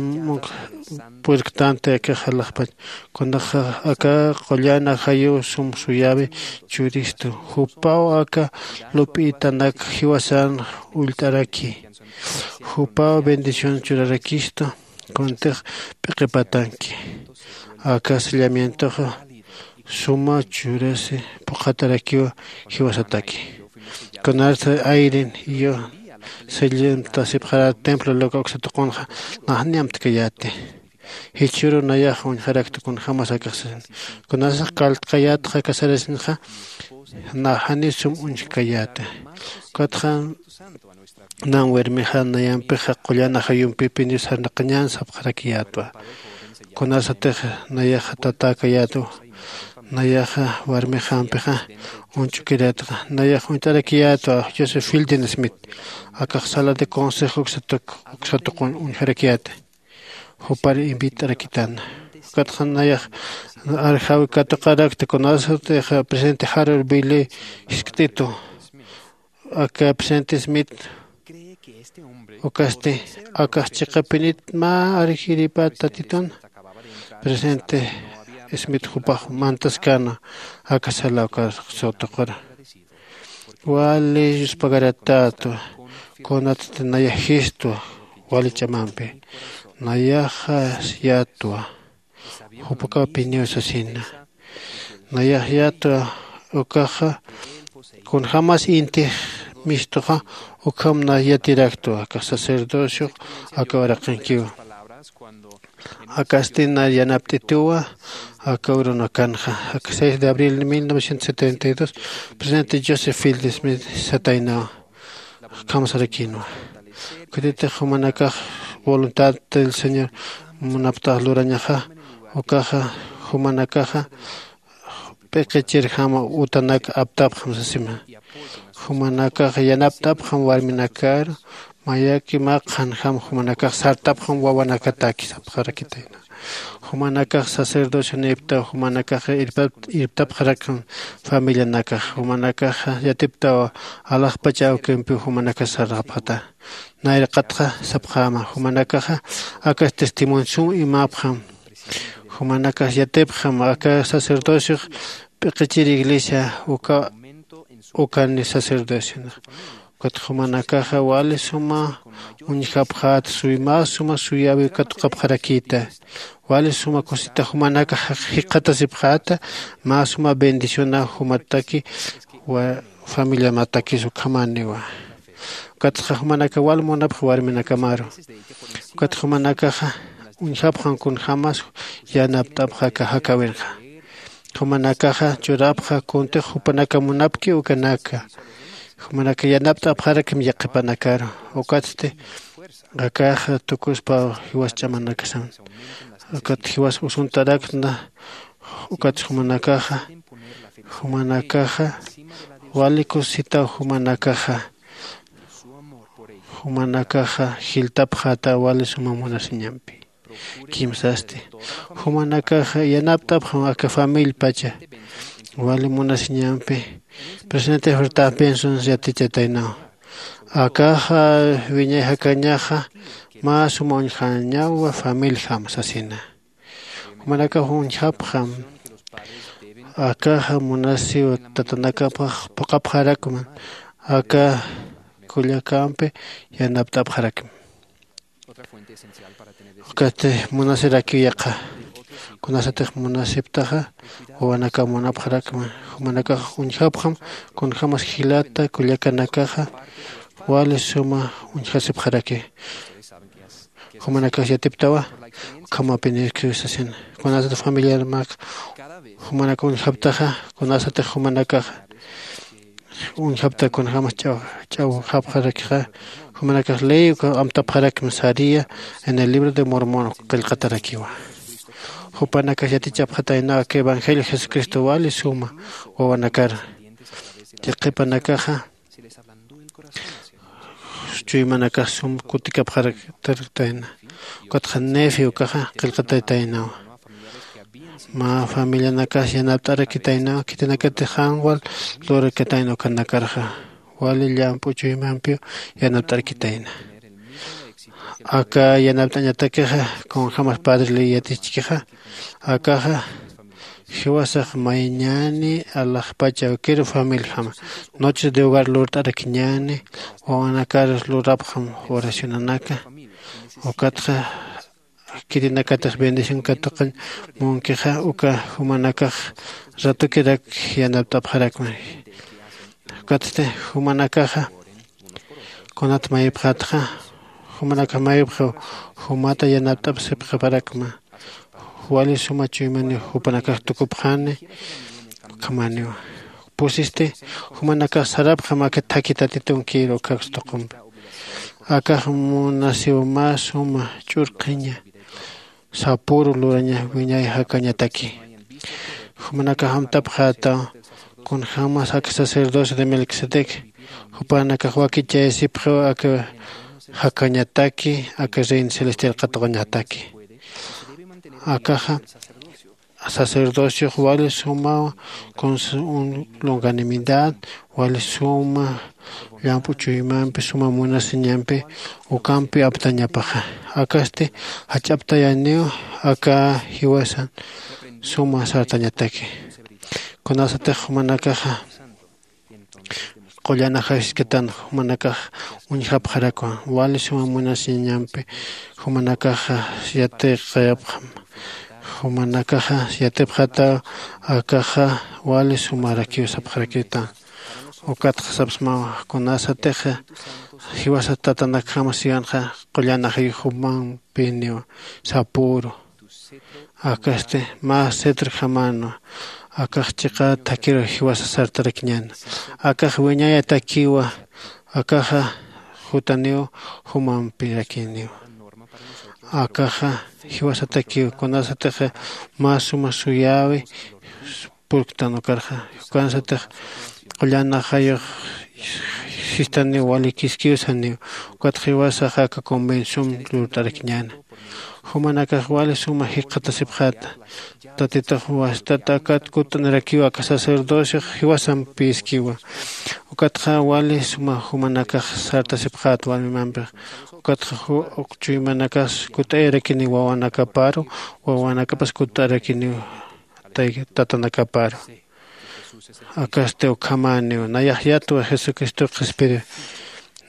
purktanti aka jalaxpach. Kunaxa aka qullan ajayu sum suyawi churistu jupaw aka lup'itanak jiwasan ullt'araki. Jupaw bendición churarakistu kuntix p'iqipatanki. Aka sellamientoxa suma churasi phuqhatarakiwa jiwasataki. Kunarsa ayrin iyo sellantasipxara templo loka uksa tuqunxa naxni amtkayäti. Jichhüru nayax uñjarakta kunjämas akaxsasin. Kunasax kaltkayätxa kasarasinxa naxani sum uñjkayäti. Ukatxa nan warmixa nayampixa qullan ajayumpipiniw sarnaqañän sapxarakiyätwa. Kunasatix nayaxa tatäkayätwa. Nayaxa warmixampixa uñch'ukirätxa nayax uñt'arakiyätwa josé fildin smith. Akax sala de consejo uksa tuqun uñjarakiyäti. Jupar invit'arakitana. Ukatxa nayax arjawi katuqarakta kunasatix presidente jarol bili jiskt'itu. Aka presidente smith ukasti akax chiqapinit mä arjiripat tatitun. Presidente smith jupax mantaskäna aka sala uka sutuqura. Wali yuspagaratätwa. Kunatsti nayax jistwa wali ch'amampi nayaxa yätwa. Jupakapiniw sasina nayax yätwa. Ukaxa kunjämas intix mistuxa ukham nay yatiraktwa aka sacerdociox aka uraqinkiwa. Akasti nay yanapt'ituwa aka urunakanxa aka seis de abril de mil novecientos setenta y dos presidente joseph fieldesmith sataynawa. Kamsarakinwa. Kutitix jumanakax voluntad del señor munaptax lurañaxa ukaxa jumanakaxa p'iqichirjama utanak aptapxam sasima. Jumanakax yanapt'apxam warminakaru, mayaki mä qhanjam jumanakax sartapxam wawanakataki sapxarakitayna. Jumanakax sacerdocioniptaw jumanakax irptapxarakxam familianakax. Jumanakax yatiptaw alaxpach awkimpiw jumanakax sarapxata. Nayraqatxa sapxäma jumanakaxa akas testimonio sum imapxam. Jumanakax yatipxam aka sacerdociox p'iqichir iglesia uka ukani sacerdociona. Ukat jumanakaxa wali suma uñjapxät suy mä suma suyäwi katuqapxarakïta. Wali suma kusita jumanakax jikxatasipxäta mä suma bendiciona jumataki familiamatakis ukhamäniwa. Ukatxa jumanakax wal munapx warminakamaru. Ukat jumanakaxa uñjapxam kunjämas yanapt'apxaka jakäwinxa. Jumanakaxa churapxa kuntix jupanaka munapki ukanaka. Jumanaka yanapt'apxarakim yaqhipanakaru. Ukatsti akax tukuspa jiwas ch'amanakasan. Ukat jiwas usuntarakna. Ukat jumanakaxa jumanakaxa wali kusitaw jumanakaxa jumanakaxa jiltapxäta wali suma munasiñampi. Kimsasti jumanakaxa yanapt'apxam aka famillpacha wali munasiñampi. Presidente Horta Benson yatichataynaw akaxa wiñay jakañaxa mä suma uñjañawa familjam sasina. Jumanakax uñjapxam akaxa munasiw tatanakapax phuqhapxarakman aka kullakampi yanapt'apxarakman. Ukatsti munasirakiw yaqha kunasatix munasiptaxa wawanaka munapxarakman. Jumanakax uñjapxam kunjämas jilata kullakanakaxa wali suma uñjasipxaraki. Jumanakax yatiptawa ukhamapinirkiw sasina. Kunasatix familiarmak jumanaka uñjaptaxa kunasatix jumanakaxa uñjapta kunjämas ch'awjapxarakixa jumanakax ley uka amtapxarakma saria en el libro de Mormón qillqatarakiwa. Jupanakax yatichapxataynaw aka evangelio Jesucristo wali suma wawanakar. Yaqhipanakaxa chuymanakax sum kutikapxaraktarktayna. Ukatxa nefi ukaxa qillqataytaynawa. Mä familianakax yanapt'arakitaynaw khitinakatix jan wal lurakatayna ukanakarxa wali llamp'u chuymampiw yanapt'arakitayna. Aka yanapt'añatakixa kunjämas padre ley yatichkixa akaxa jiwasax mayñäni alaxpach awkiru familjama noches de hogar lurt'arakiñäni. Wawanakar lurapxam oracionanaka ukatxa khitinakatix bendición katuqañ munkixa uka jumanakax ratukirak yanapt'apxarakma. Ukatsti jumanakaxa kunat mayipxatxa jumanakax mayipxiw jumata yanapt'apxsipxiparakma. Wali suma chuymaniw jupanakax tukupxani ukhamaniwa. Pusisti jumanakax sarapxam aka thakhi tatitunkir ukhaks tuqumpi. Akax munasiw mä suma ch'urqhiña sapüru luraña wiñay jakañataki. Jumanakax amtapxätaw kunjämas aka sacerdocio de Melquisedec jupanakax wakichayasipxiw aka jakañataki aka reino celestial katuqañataki. Akaxa sacerdociox wali sumaw con su longanimidad wali suma llamp'u chuymampi suma munasiñampi ukampi aptañapaxa. Akasti jach'aptayaniw aka jiwasan suma sartañataki. Kunasatix jumanakaxa qullan ajayuskatan jumanakax uñjapxarakwa wali suma munasiñampi jumanakaxa yatiqayapxam. Jumanakaxa yatipxataw akaxa wali sumarakiw sapxarakitan. Ukatxa sapsmawa kunasatixa jiwasat tatanakjama siwanxa qullan ajayux jumampiniwa sapüru. Akasti mä cetrojamänwa akax chiqa thakiru jiwasa sartarakiñäna. Akax wiñayatakiwa akaxa jutaniw jumampirakiniwa. Akaxa jiwasatakiw kunasatixa mä suma suyäwi purktan ukarxa. Ukansatix qullan ajayux sistaniw wali kiskiw saniw. Ukatxa jiwasaxa aka convención lurt'arakiñäna. Jumanakax wali suma jikxatasipxäta. Tatitux wastat akat kutt'anirakiw aka sacerdociox jiwasampïskiwa. Ukatxa wali suma jumanakax sartasipxäta warmimampix. Ukatxa ju- uk chuymanakax kutt'ayarakiniw wawanakaparu, wawanakapas kutt'ayarakiniw tay- tatanakaparu. Akasti ukhamäniw nayax yatwa Jesucristox qhispiri.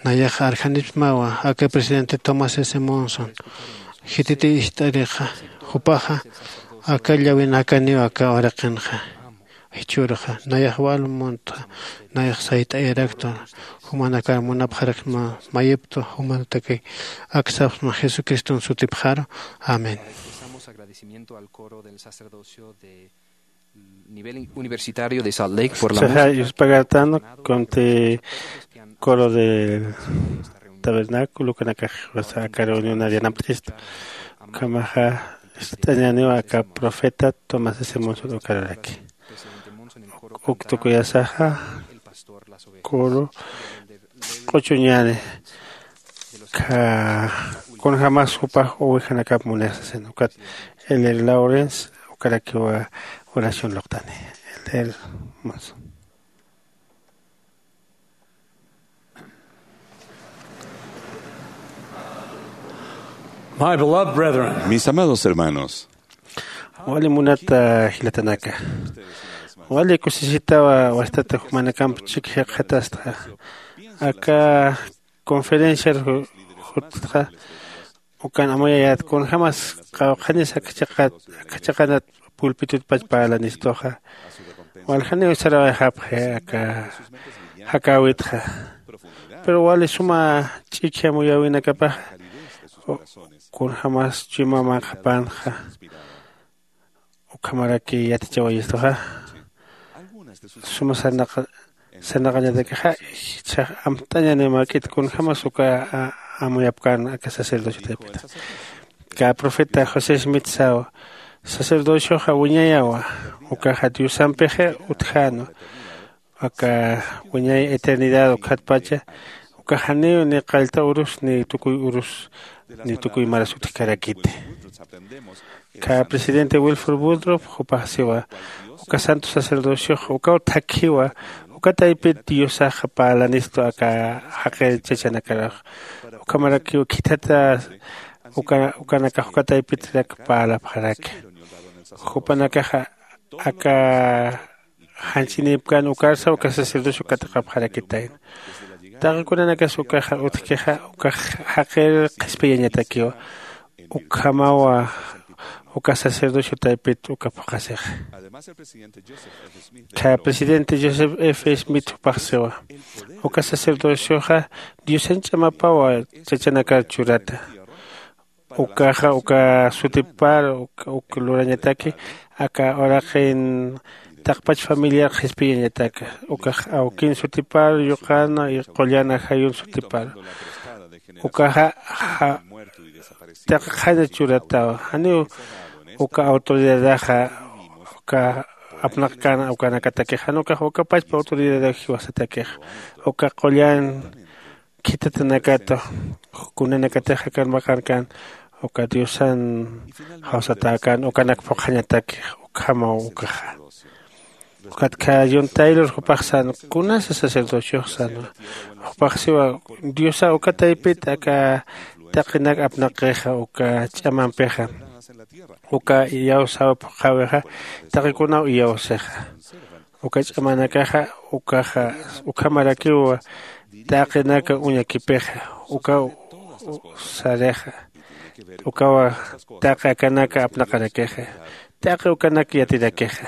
Nayax arjanipsmawa aka presidente Thomas S Monson. Khititi ist'arixa jupaxa aka llawinakaniw aka uraqinxa. Jichhürxa nayax wal muntxa nayax sayt'ayaraktwa. Jumanakar munapxarakma mayiptwa jumanataki aksapxma Jesucriston sutipxaru. Amén. Expresamos agradecimiento al coro del sacerdocio de nivel universitario de Salt Lake por la música. Yuspagatan conte coro del tabernáculo kanakax aka reunión arianampt'ista. Ukhamaxa ist'añäniwa aka profeta Tomás S Monson ukararaki. Uk tukuyasaxa coro q'uchuñäni. Kunjämas jupax ovejanakap munir sasin ukat el lawrence ukarakiwa oración luqtani. El hermoso. My beloved brethren, mis amados hermanos, wali munata jilatanaka, wali kusisitawa wastata jumanakamp chik jikxatastxa. Aka conferenciar jutxa ukan amuyayät kunjämas qawqhanis akachaqanat pulpitutpach parlanistuxa. Waljaniw sarawayxapxi aka jakäwitxa. Pero wali suma ch'ikji amuyäwinakapaxa kunjämas chuyma manqhapanxa ukhamaraki yatichawayistuxa. Suma sarnaqañatakixa jichhax amt'añaniw mäk'it kunjämas uka amuyapkän aka sacerdocio taypita. Kä profeta josé smith saw sacerdocioxa wiñayawa. Ukaxa diosampixa utjänwa aka wiñay eternidad ukkhatpacha. Ukax janiw ni qallta urus ni tukuy urus ni tukuy maras utjkarakiti. Kä presidente wilford woodrop jupax siwa uka santo sacerdociox ukaw thakhiwa. Uka taypit diosax parlanistu aka jaqir chachanakaruxa. Ukhamarakiw khithata ukanakax uka taypitrak parlapxaraki. Jupanakaxa aka janch'inipkän ukarsa uka sacerdocio katiqapxarakitayna. Taqi kunanakas ukaxa utjkixa ukax jaqir qhispiyañatakiwa. Ukhamawa uka sacerdocio taypit uka phuqhasixa. Kä presidente joseph f smith jupax siwa uka sacerdocioxa diosan ch'amapawa chachanakar churata. Ukaxa uka sutipar uk lurañataki aka uraqin taqpach familiar qhispiyañataka. Ukax awkin sutipar yuqan qullan ajayun sutipar ukaxa taq qhana churatawa. Janiw uka autoridadaxa uka apnaqkän ukanakatakixa jan ukax uka pachpa autoridadaw jiwasatakixa uka qullan khithatanakata kunanakatix akan maqankän uka diosan jawsatäkän ukanak phuqhañatakix. Ukhamaw ukaxa ukat kä john taylor jupax sän kunasa sacerdociox sänwa. Jupax siwa diosa uka taypit aka taqinak apnaqixa uka ch'amampixa uka iyawsäw phuqhäwixa taqikunaw iyawsixa. Uka ch'amanakaxa ukaxa ukhamarakiw taqinaka uñakipixa ukaw sarixa ukawa taqi akanaka apnaqarakixa taqi ukanak yatirakixa.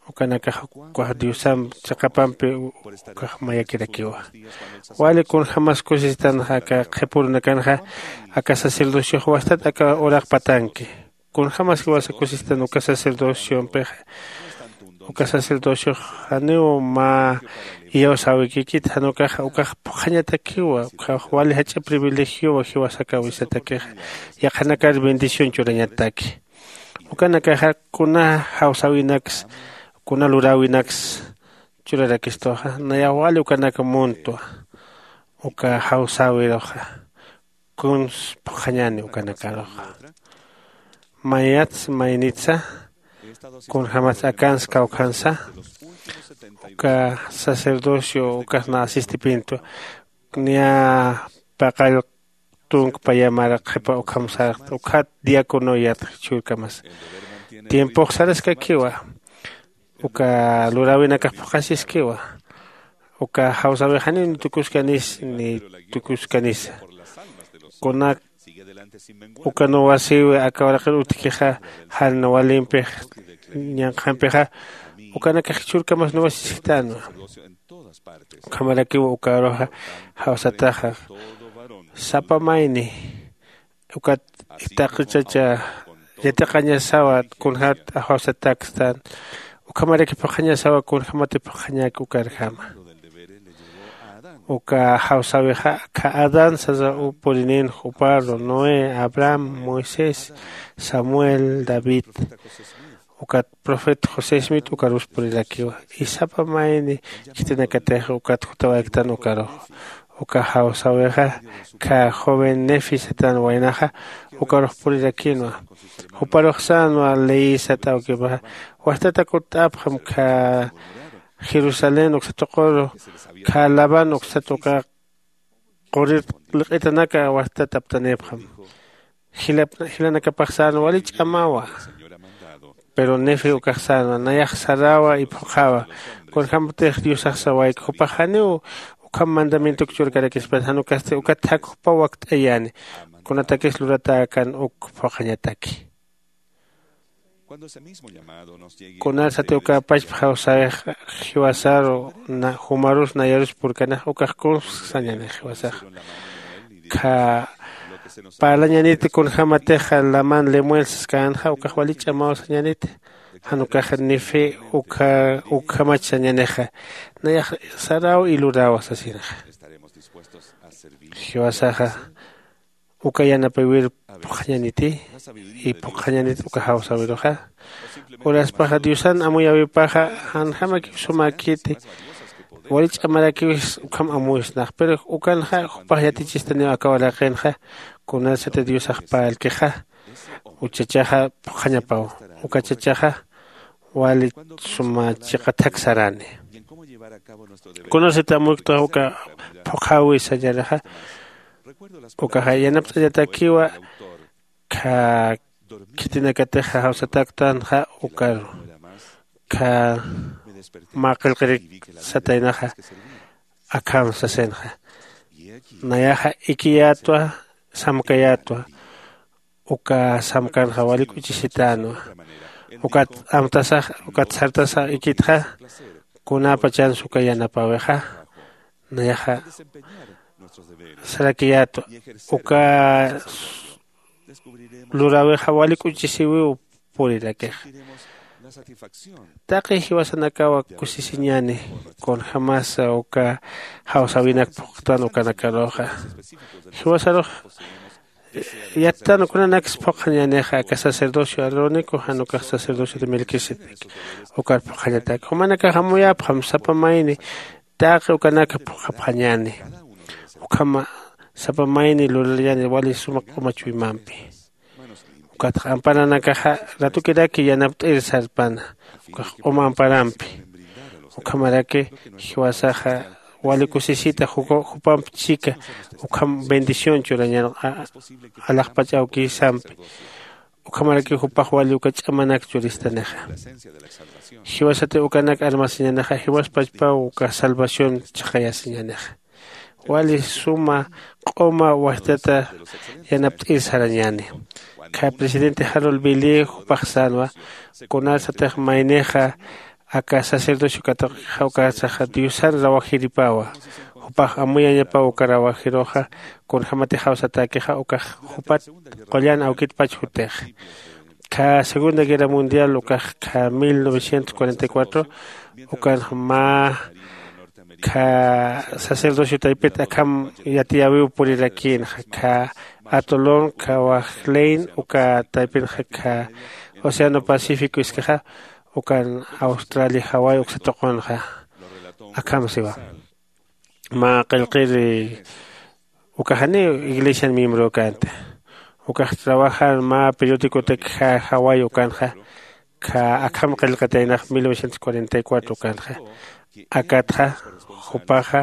Ukanakax ukax diosamp chiqapampi ukax mayakirakiwa. Wali kunjämas kusisitanxa aka qhipurunakanxa aka sacerdociox wastat aka uraq patanki. Kunjämas jiwasa kusistan uka sacerdociompixa uka sacerdociox janiw mä iyawsäwikikit jan ukaxa ukax phuqhañatakiwa ukax wali jach'a privilegiowa jiwasakäwisatakixa. Yaqhanakar bendición churañataki ukanakaxa kuna jawsäwinaksa kuna luräwinaksa churarakistuxa nayax wali ukanaka muntwa. Uka jawsäwiruxa kuns phuqhañäni ukanakaruxa. Mayats maynitsa kunjämats akans kawkhansa uka sacerdocio ukas na asistipintu niya paqall tunk payamar qhipa ukham sarxt ukhat diácono yatxi chhurkamas tiempox saraskakiwa. Uka luräwinakax phuqhasiskiwa. Uka jawsäwix janiw ni tukuskanisa ni tukuskanisa. Kunak uka nuwasïwi aka uraqir utjkixa jan walimpix ñanqhampixa ukanakax jichhürkamas nuwasisktanwa. Ukhamarakiw uka uruxa jawsataxa sapa mayni ukat taqi chacha yatiqañasawa kunjat jawsatakstan. Ukhamaraki phuqhañasawa kunjämati phuqhañäki ukarjama. Uka jawsäwixa akha adán sasa purinin juparru noé abraham moisés samuel david ukat profeta josésmit ukarus purirakiwa. Isapa mayni khitinakatix ukat jutawayaktan ukarux uka jawsäwixa kha joven nefi satan waynaxa ukarux purirakinwa. Juparux sänwa leyisat awkipaxa wajtata kutt'apxam kha jerusalén uksa tuquru kha laban uksat uka qurir liq'itanaka wajtat aptanipxam. Jilanakapax sänwa wali ch'amawa. Pero nefe ukax sänwa nayax saräwa iphuqhäwa. Kunjämatix diosax sawayki jupax janiw ukham mandamientoki churkarakispan jan ukasti ukat jak jupaw wakt'ayäni. Kunatakis luratäkan uk phuqhañataki. Kunarsati uka pachpa jawsäwix jiwasaru jumarus nayarus purkanax ukax kuns sañanix jiwasax kha parlañaniti kunjämatixa laman lemuel saskänxa ukax wali ch'amaw sañaniti. Jan ukax nifi ukhamach sañanixa nayax saräw iluräwa sasinxa. Jiwasaxa uka yanapawir phuqhañaniti y phuqhañanit uka jawsäwiruxa. Uraspaxa diosan amuyäwipaxa janjamakiw sumäkiti wali ch'amarakiwis ukham amuyusnax pero ukanxa jupax yatichistaniw aka uraqinxa. Kunasati diosax parlkixa uchachaxa phuqhañapaw uka chachaxa wali suma chiqathak sarani. Kunasati amuyktux uka phuqhäwi sañaraxa ukaxa yanapt'añatakiwa. Kha khitinakatixa jawsataktanxa ukaru kha mä qillqirik sataynaxa akham sasinxa. Nayaxa ikiyätwa samkayätwa uka samkanxa wali k'uchisitänwa. Ukat amtasax ukat sartasax ikitxa kunäpachansa uka yanapäwixa nayaxa sarakiyätwa uka luräwixa wali k'uchisïwiw purirakixa. Taqi jiwasanakawa kusisiñäni kunjämasa uka jawsäwinak phuqtan ukanakaruxa. Jiwasarux yattan kunanaksa phuqhañänixa aka sacerdocio arónico jan ukax sacerdocio de melquisedec ukar phuqhañatak jumanakax amuyäpxam sapa mayni taqi ukanaka phuqhapxañäni. Ukhama sapa mayni lurallañäni wali suma q'uma chuymampi. Ukatxa amparanakaxa ratukiraki yanapt'ir sarpana ukax q'uma amparampi. Ukhamaraki jiwasaxa wali kusisita jupamp chika ukham bendición churañan alaxpach awkïsampi. Ukhamarakiw jupax wali uka ch'amanak churistanixa. Jiwasati ukanak armasiñanixa jiwaspachpaw uka salvación chhaqayasiñanixa. Wali suma q'uma wajtata yanapt'ir sarañäni. Kha presidente harold billy jupax sänwa kunarsatix maynixa aka sacerdocio katuqixa ukarsaxa diosan rawajiripawa. Jupax amuyañapaw uka rawajiruxa kunjämatix jawsatäkixa ukax jupat qullan awkitpach jutixa. Kha segunda guerra mundial ukax kha mil novecientos cuarenta y cuatro ukanx mä kha sacerdocio taypit akham yatiyäwiw purirakïnxa kha atolón kha wajlein uka taypinxa kha océano pacífico iskixa. ukan australia jaway uksa tuqunxa. Akham siwa mä qillqir uka janiw iglesian miembro känti. Ukax trabajan mä periodicotak jaway ukanxa. Kha akham qillqataynax mil novecientos cuarenta y cuatro ukanxa. Akatxa jupaxa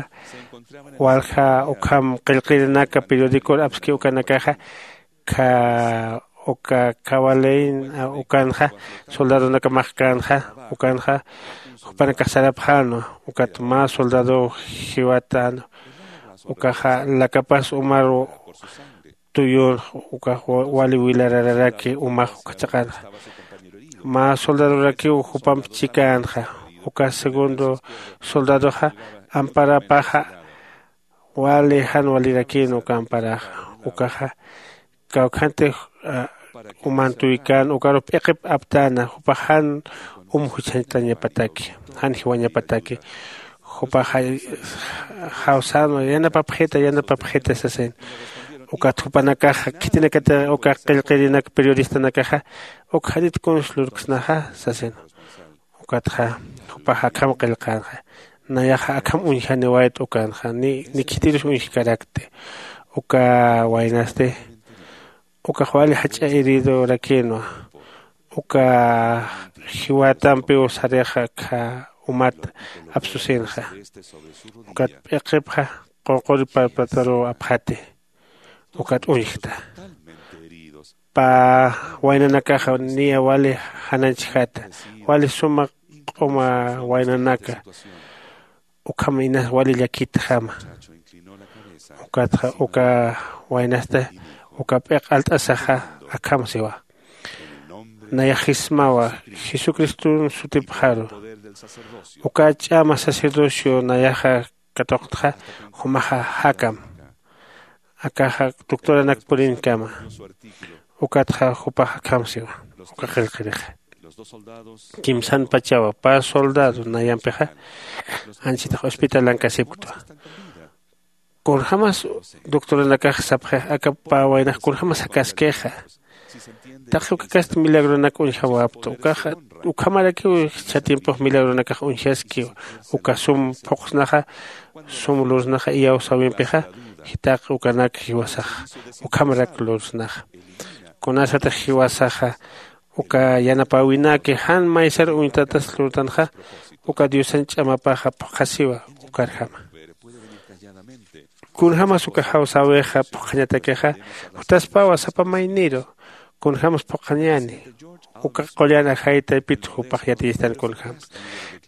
walja ukham qillqirinaka periodicor apski ukanakaxa. Kha uka kawalein ukanxa soldadonakamakkanxa ukanxa jupanakax sarapxänwa. Ukat mä soldado jiwatänwa ukaxa lakapas umaru tuyun ukax wali wilarararaki umax ukachaqanxa. Mä soldadorakiw jupamp chikänxa. Uka segundo soldadoxa amparapaxa wali jan walirakïn uka amparaxa. Ukaxa kawkhantix umantuykan ukarux p'iqip aptäna jupax jan um juchhañtañapataki jan jiwañapataki. Jupaxa jawsänwa yanapapxita yanapapxita sasin. Ukat jupanakaxa khitinakatix uka qillqirinak periodistanakaxa uk janit kuns lurksnaxa sasin. Ukatxa jupax akham qillqänxa. Nayaxa akham uñjaniwayt ukanxa ni khitirus uñjkarakti. Uka waynasti ukax wali jach'a heridorakïnwa. Uka jiwatampiw sarixa kha umat apsusinxa. Ukat p'iqipxa qunquri parpataruw apxati. Ukat uñjta pä waynanakaxa niya wali janañchjata. Wali suma q'uma waynanaka ukham inas wali llakitjama. Ukatxa uka waynasta uka p'iq alt'asaxa akham siwa. Nayax jismawa jesucriston sutipxaru. Uka ch'ama sacerdocio nayaxa katuqtxa jumaxa jakam. Akaxa doctoranak purinkama. Ukatxa jupax akham siwa uka qillqirixa. Kimsan pachawa pä soldado nayampixa anchitax hospitalan kasipktwa. Kunjämas doctoranakax sapxix aka pä waynax kunjämas jakaskixa. Taqi ukakasti milagronak uñjawapta ukaxa ukhamarakiw jichha tiempox milagronakax uñjaskiw. Uka sum phuqsnaxa sum lursnaxa iyawsäwimpixa jitaq ukanak jiwasax ukhamarak lursnaxa. Kunasatix jiwasaxa uka yanapäwinaki jan maysar uñtatas lurtanxa uka diosan ch'amapaxa phuqhasiwa. Ukarjama kunjämas uka jawsäwixa phuqhañatakixa jutaspawa sapa mayniru. Kunjämas phuqhañäni uka qullan ajay taypit jupax yatiyistan kunjämas.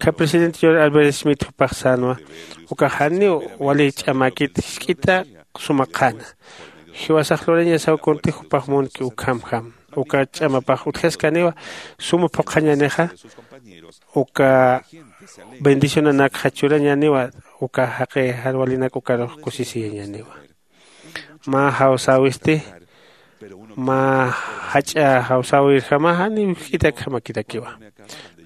Kha presidente george albert smith jupax sänwa ukax janiw wali ch'amäkit jisk'ita suma qhana. Jiwasax lurañasaw kunti jupax munki ukhamjam. Uka ch'amapax utjaskaniwa suma phuqhañänixa uka bendicionanakxa churañäniwa uka jaqi jan walinak ukarux kusisiyañäniwa. Mä jawsäwisti mä jach'a jawsäwirjama janiw jisk'itakjamakirakiwa.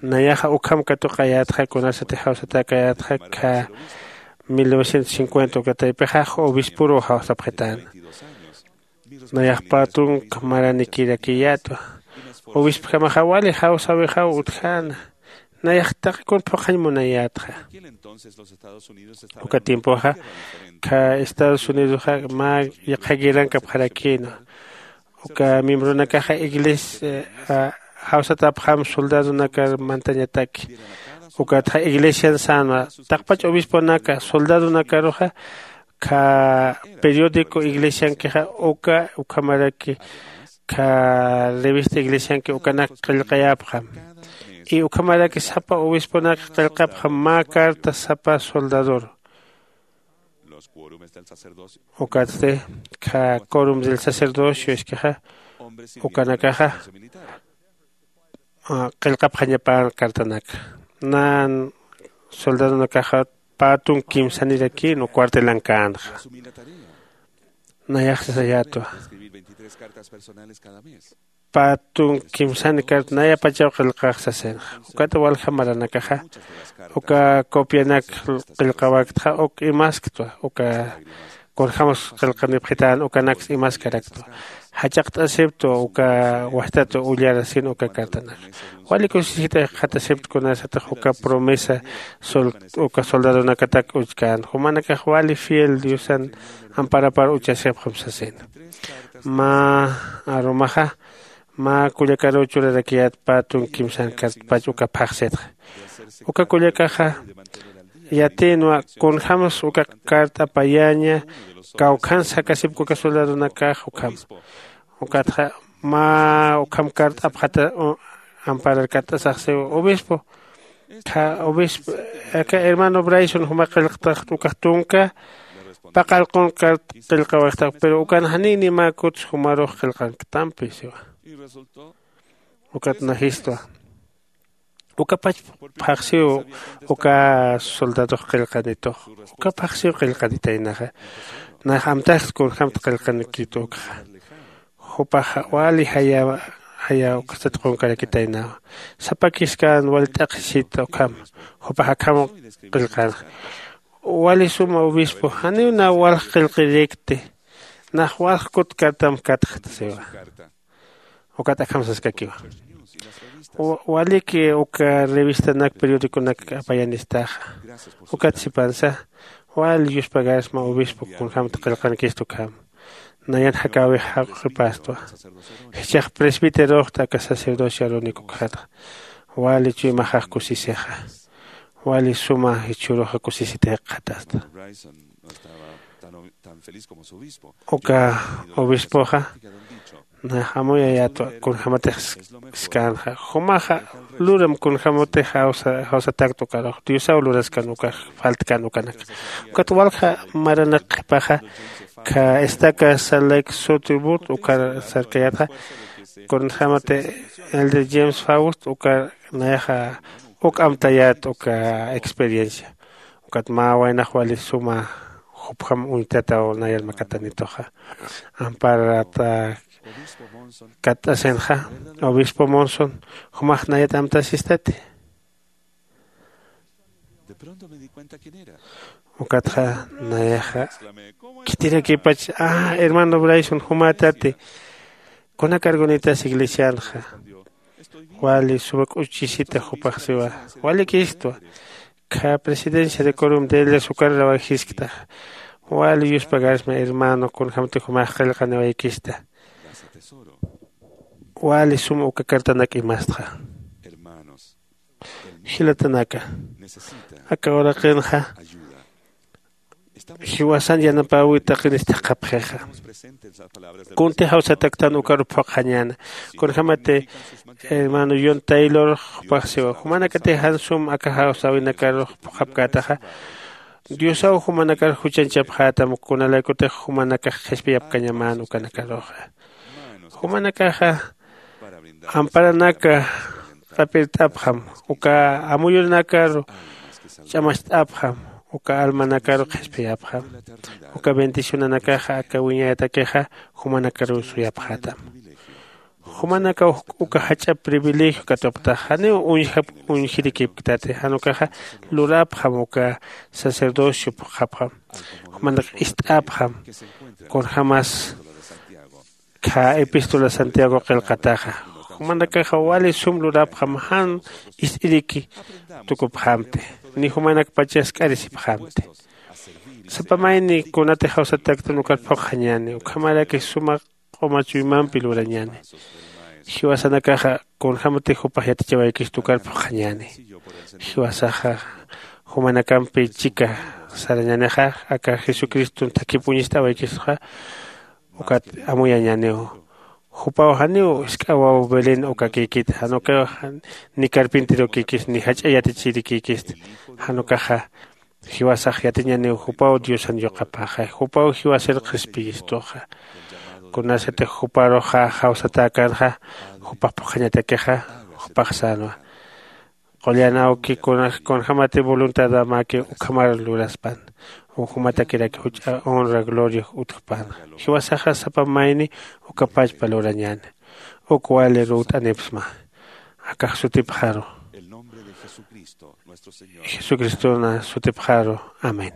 Nayaxa ukham katuqayätxa kunasatix jawsatäkayätxa kha mil novecientos cincuenta uka taypixa obisporuw jawsapxitäna. Nayax pä tunka maranikirakiyätwa. Obispjamaxa wali jawsäwixaw utjäna. Nayax taqi kun phuqhañ munayätxa. Uka tiempoxa kha estados unidoxa mä yaqha guerrankapxarakïnwa. Uka miembronakaxa iglesia jawsatäpxam soldadonakar mantañataki. Ukatxa iglesian sänwa taqpach obisponaka soldadonakaruxa kha periodico iglesiankixa uka ukhamaraki kha revista iglesianki ukanak qillqayapxam. Y ukhamaraki sapa obisponak qillqapxam mä carta sapa soldador. Ukatsti kha corum del sacerdocio iskixa ukanakaxa qillqapxañapan cartanaka. Nan soldadonakaxa pä tunka kimsanirakïnwa cuartelankäntxa. Nayax sasayätwa pä tunka kimsani carta nayapachaw qillqax sasinxa. Ukat walja maranakaxa uka copianak qillqawaktxa uk imasktwa uka kunjämas qillqanipxitän ukanaksa imaskaraktwa. Jach'aqt'asiptwa uka wajtat ullarasin uka cartanaka. Wali kusisita jikxatasipta kunasatix uka promesa uka soldadonakatak uchkän jumanakax wali fiel diosan amparapar uchasipxam sasina. Mä arumaxa mä kullakaruw churarakiyät pä tun kimsan cartpach uka phaxsitxa. Uka kullakaxa yatïnwa kunjämas uka cart'apayaña kawkhansa jakasipki uka soldadonakax ukham. Ukatxa mä ukham cart'apxata ampararkatt'asaxsiw obispo kha obispo aka hermano brayson juma qillqtaxt ukax tunka paqallqun carta qillqawayxtax pero ukan janiy nimäkuts jumarux qillqanktampi siwa. Ukat najistwa ukapach phaxsiw uka soldadox qillqanitux. Uka phaxsiw qillqanitaynaxa nax amtaxt kunjämt qillqanikit ukxa. Jupaxa wali jaya jaya ukasat qunkarakitaynawa. Sapa kiskan wali t'aqhisita ukham jupax akham qillqanxa. Wali suma obispo janiw nax walj qillqirikti. Nax walj kut cartam katxta siwa. Ukat akham saskakiwa. Waliki uka revistanak periodiconak apayanistaxa. Ukat sipansa wali yuspagarsma obispo kunjämta qillqankistu ukham. Nayan jakäwix jaq'ipastwa. Jichhax presbiteroxta aka sacerdocio arónico ukxatxa. Wali chuymaxax kusisixa. Wali suma jichhüruxa kusisita jikxatasta. Uka obispoxa nax amuyayätwa kunjämatix skänxa. Jumaxa luram kunjämatix jawsatäkta ukarux diosaw luraskan ukax faltkan ukanaka. Ukat walja maranak qhipaxa kha estaca salek sutibut ukar sarkayätxa. Kunjämati elder james faust ukar nayaxa uk amtayät uka experiencia. Ukat mä waynax wali suma jupjam uñtataw nayar makatanituxa. Amparata katt'asinxa obispo monson jumax nayat amtasistati. Ukatxa nayaxa khitirakipach a hermano brayson jumätati. Kuna cargunitas iglesianxa wali suma k'uchchisita jupax siwa. Walikistwa kha presidencia de corum de ellas ukarurawayjiskta. Wali yuspagarsma hermano kunjämti jumax qillqaniwaykista. Wali suma uka cartanak imastxa. Jilatanaka aka uraqinxa jiwasan yanapäwi taqinistixqapxixa. Kunti jawsataktan ukaru phuqxañäna. Kunjämati hermano yon taylor jupax siwa jumanakatix jan sum aka jawsäwinakarux phuqhapkätaxa. Diosaw jumanakar juchanchapxätam kunalaykutix jumanakax qhispiyapkañamän ukanakaruxa. Jumanakaxa amparanaka q'apirt'apxam uka amuyunakaru ch'amacht'apxam uka almanakaru qhispiyapxam. Uka bendicionanakaxa aka wiñayatakixa jumanakaruw suyapxätam. Jumanakaw uka jach'a privilegio katuptax janiw uñjap uñjirikipktati jan ukaxa lurapxam uka sacerdocio phuqhapxam. Jumanak ist'apxam kunjämas kha epístola santiago qillqataxa. Jumanakaxa wali sum lurapxam jan ist'iriki tukupxamti ni jumanakpachas k'arisipxamti. Sapa mayni kunatix jawsataktan ukar phuqxañäni ukhamaraki suma q'uma chuymampi lurañäni. Jiwasanakaxa kunjämatix jupax yatichawaykista ukar phuqxañäni. Jiwasaxa jumanakampi chika sarañänixa aka jesucriston thakhip uñist'awaykistuxa. Ukat amuyañäniw jupaw janiw isk'awaw belén ukakïkit jan ukaw ni carpinterokïkist ni jach'a yatichirikïkist. Jan ukaxa jiwasax yatiñäniw jupaw diosan yuqapaxay jupaw jiwasir qhispiyistuxa. Kunasatix juparuxa jawsatäkänxa jupax phuqhañatakixa jupax sänwa. Qullan awki kunjämati voluntadamaki ukhamar luraspan. Ukhumatakiraki juch'a honra gloria utjpan. Jiwasaxa sapa mayni ukapachpa lurañäni. Uk wali ruwt'anipsma akax sutipxaru. Jesucristona sutipxaru. Amén.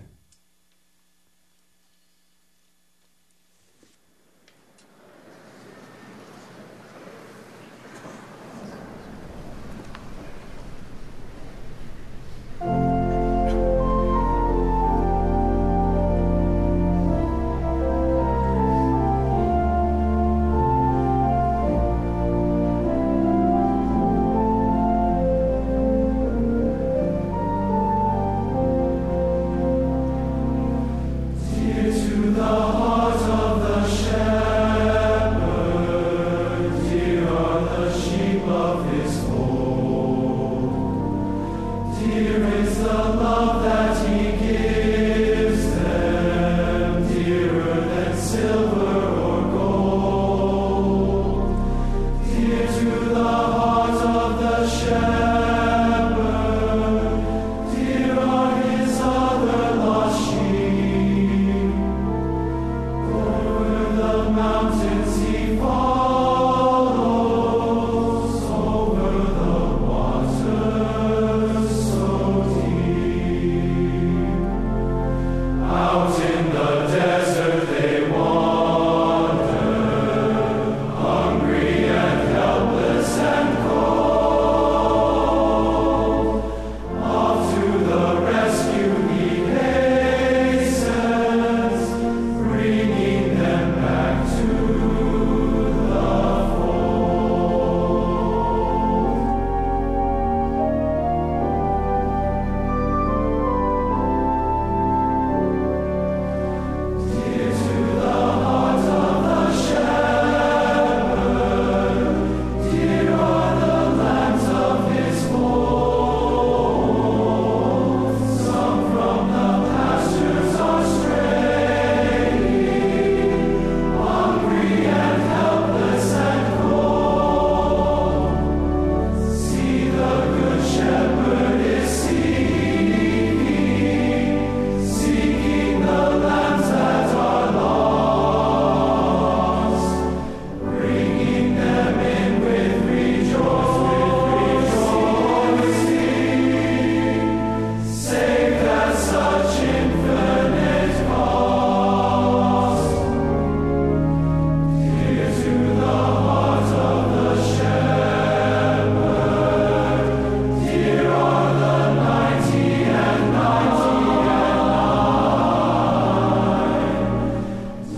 Dear are his other lost sheep. Over the mountains he follows, over the waters so deep. Out in the desert they wander, hungry and helpless and cold. Off to the rescue he hastens, bringing them back to the fold. Dear to the heart of the shepherd, dear are the lambs of his fold. Some from the pastures are straying, hungry and helpless and cold. See, the Good Shepherd is seeking, seeking the lambs that are lost, bringing them in with rejoicing, with rejoicing. Saved at such infinite cost. Dear to the heart of the shepherd, dear are the ninety and ninety and nine.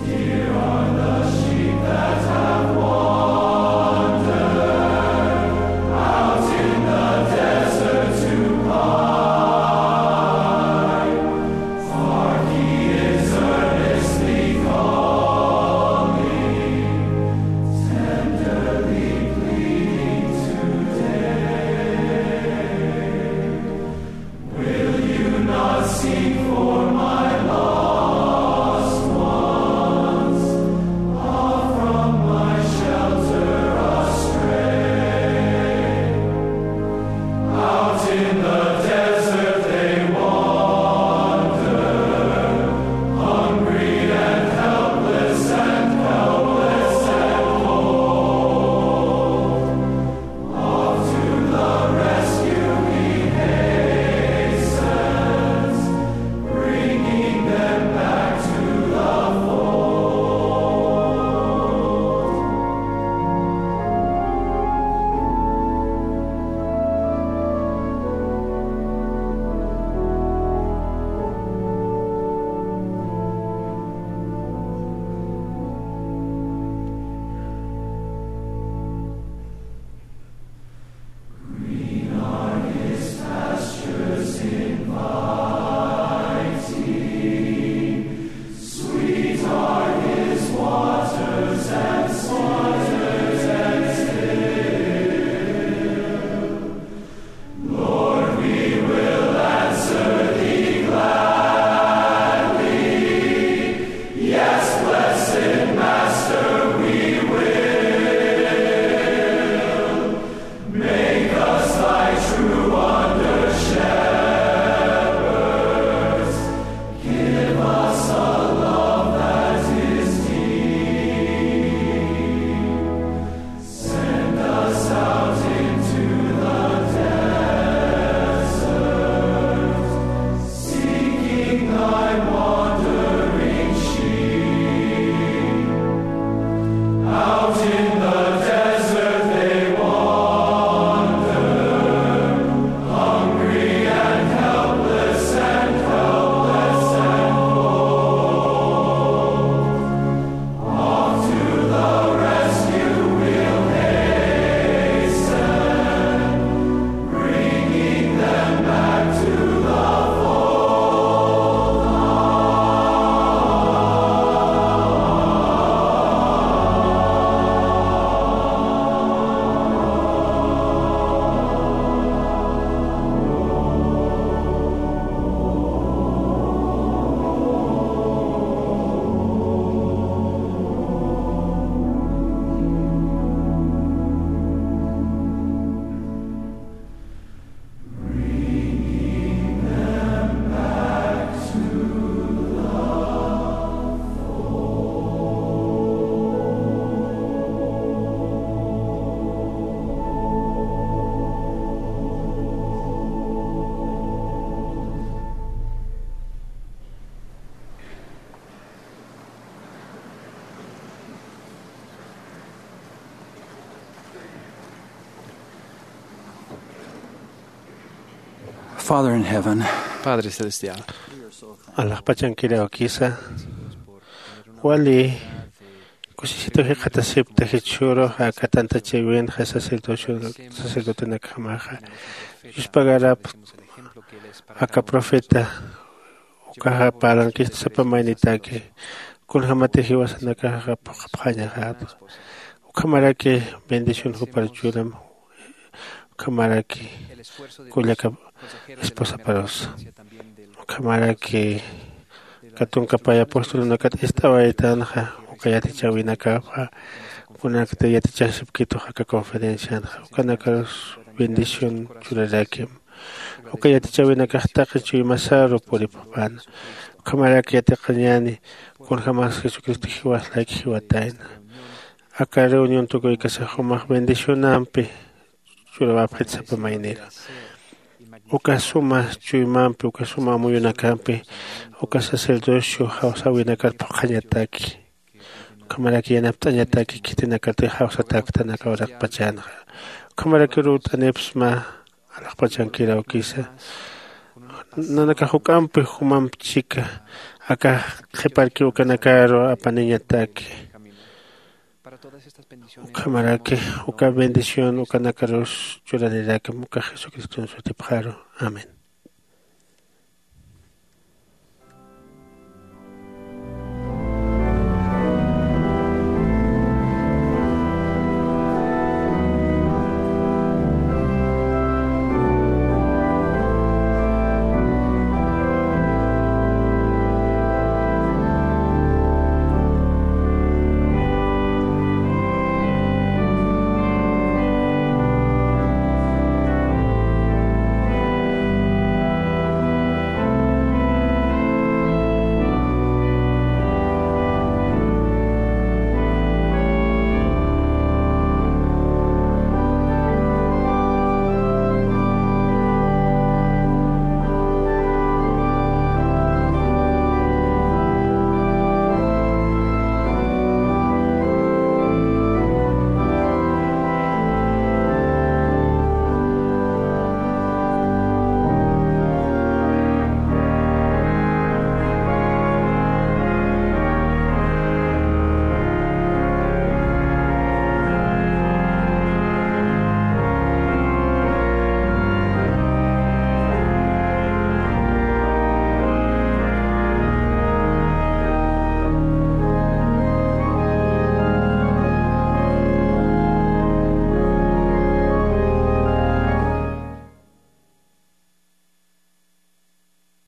Dear are the sheep that have wandered out in the desert to pine. Hark, he is earnestly calling, tenderly pleading today. Will you not seek for my lost ones, off from my shelter astray? Out in the desert they wander, hungry and helpless and helpless and cold. Off to the rescue he hastens, bringing them back to the fold. Father in heaven, Padre Celestial, alaxpachankiraw kisa, wali kusisitu jikxatasipta jichhüru aka tantachiwinxa sacerdocio, sacerdotenakjamaxa yuspagarap aka profeta ukaxa parlankista sapa maynitaki kunjämatix jiwasanakaxa phuqhapxañaxäta. Ukhamaraki bendición jupar churam. Ukhamaraki kullaka esposaparusa, ukhamaraki katunkapay apostolunakat ist'awaytanxa uka yatichäwinakapxa kunakta yatichasipkitux aka conferencianxa ukanakarus bendición churarakim. Uka yatichäwinakax taqi chuymasaru puripxpana. Ukhamaraki yatiqañäni kunjämas jesucristo jiwas layki jiwatayna. Aka reunión tukuykasax jumax bendicionampi churawapxit sapa maynira. Uka suma chuymampi uka suma amuyunakampi uka sacerdocio jawsäwinakat phuqhañataki. Ukhamaraki yanapt'añataki khitinakati jawsatäktanaka uraqpachanxa. Ukhamaraki urut'anipsma alaxpachankiraw kisa. Nanakax juk'ampi jumamp chika aka qhiparki ukanakaru apaniñataki. Ukhamaraki uka bendición ukanakarus churanirakim uka jesucriston sutipxaru. Amén.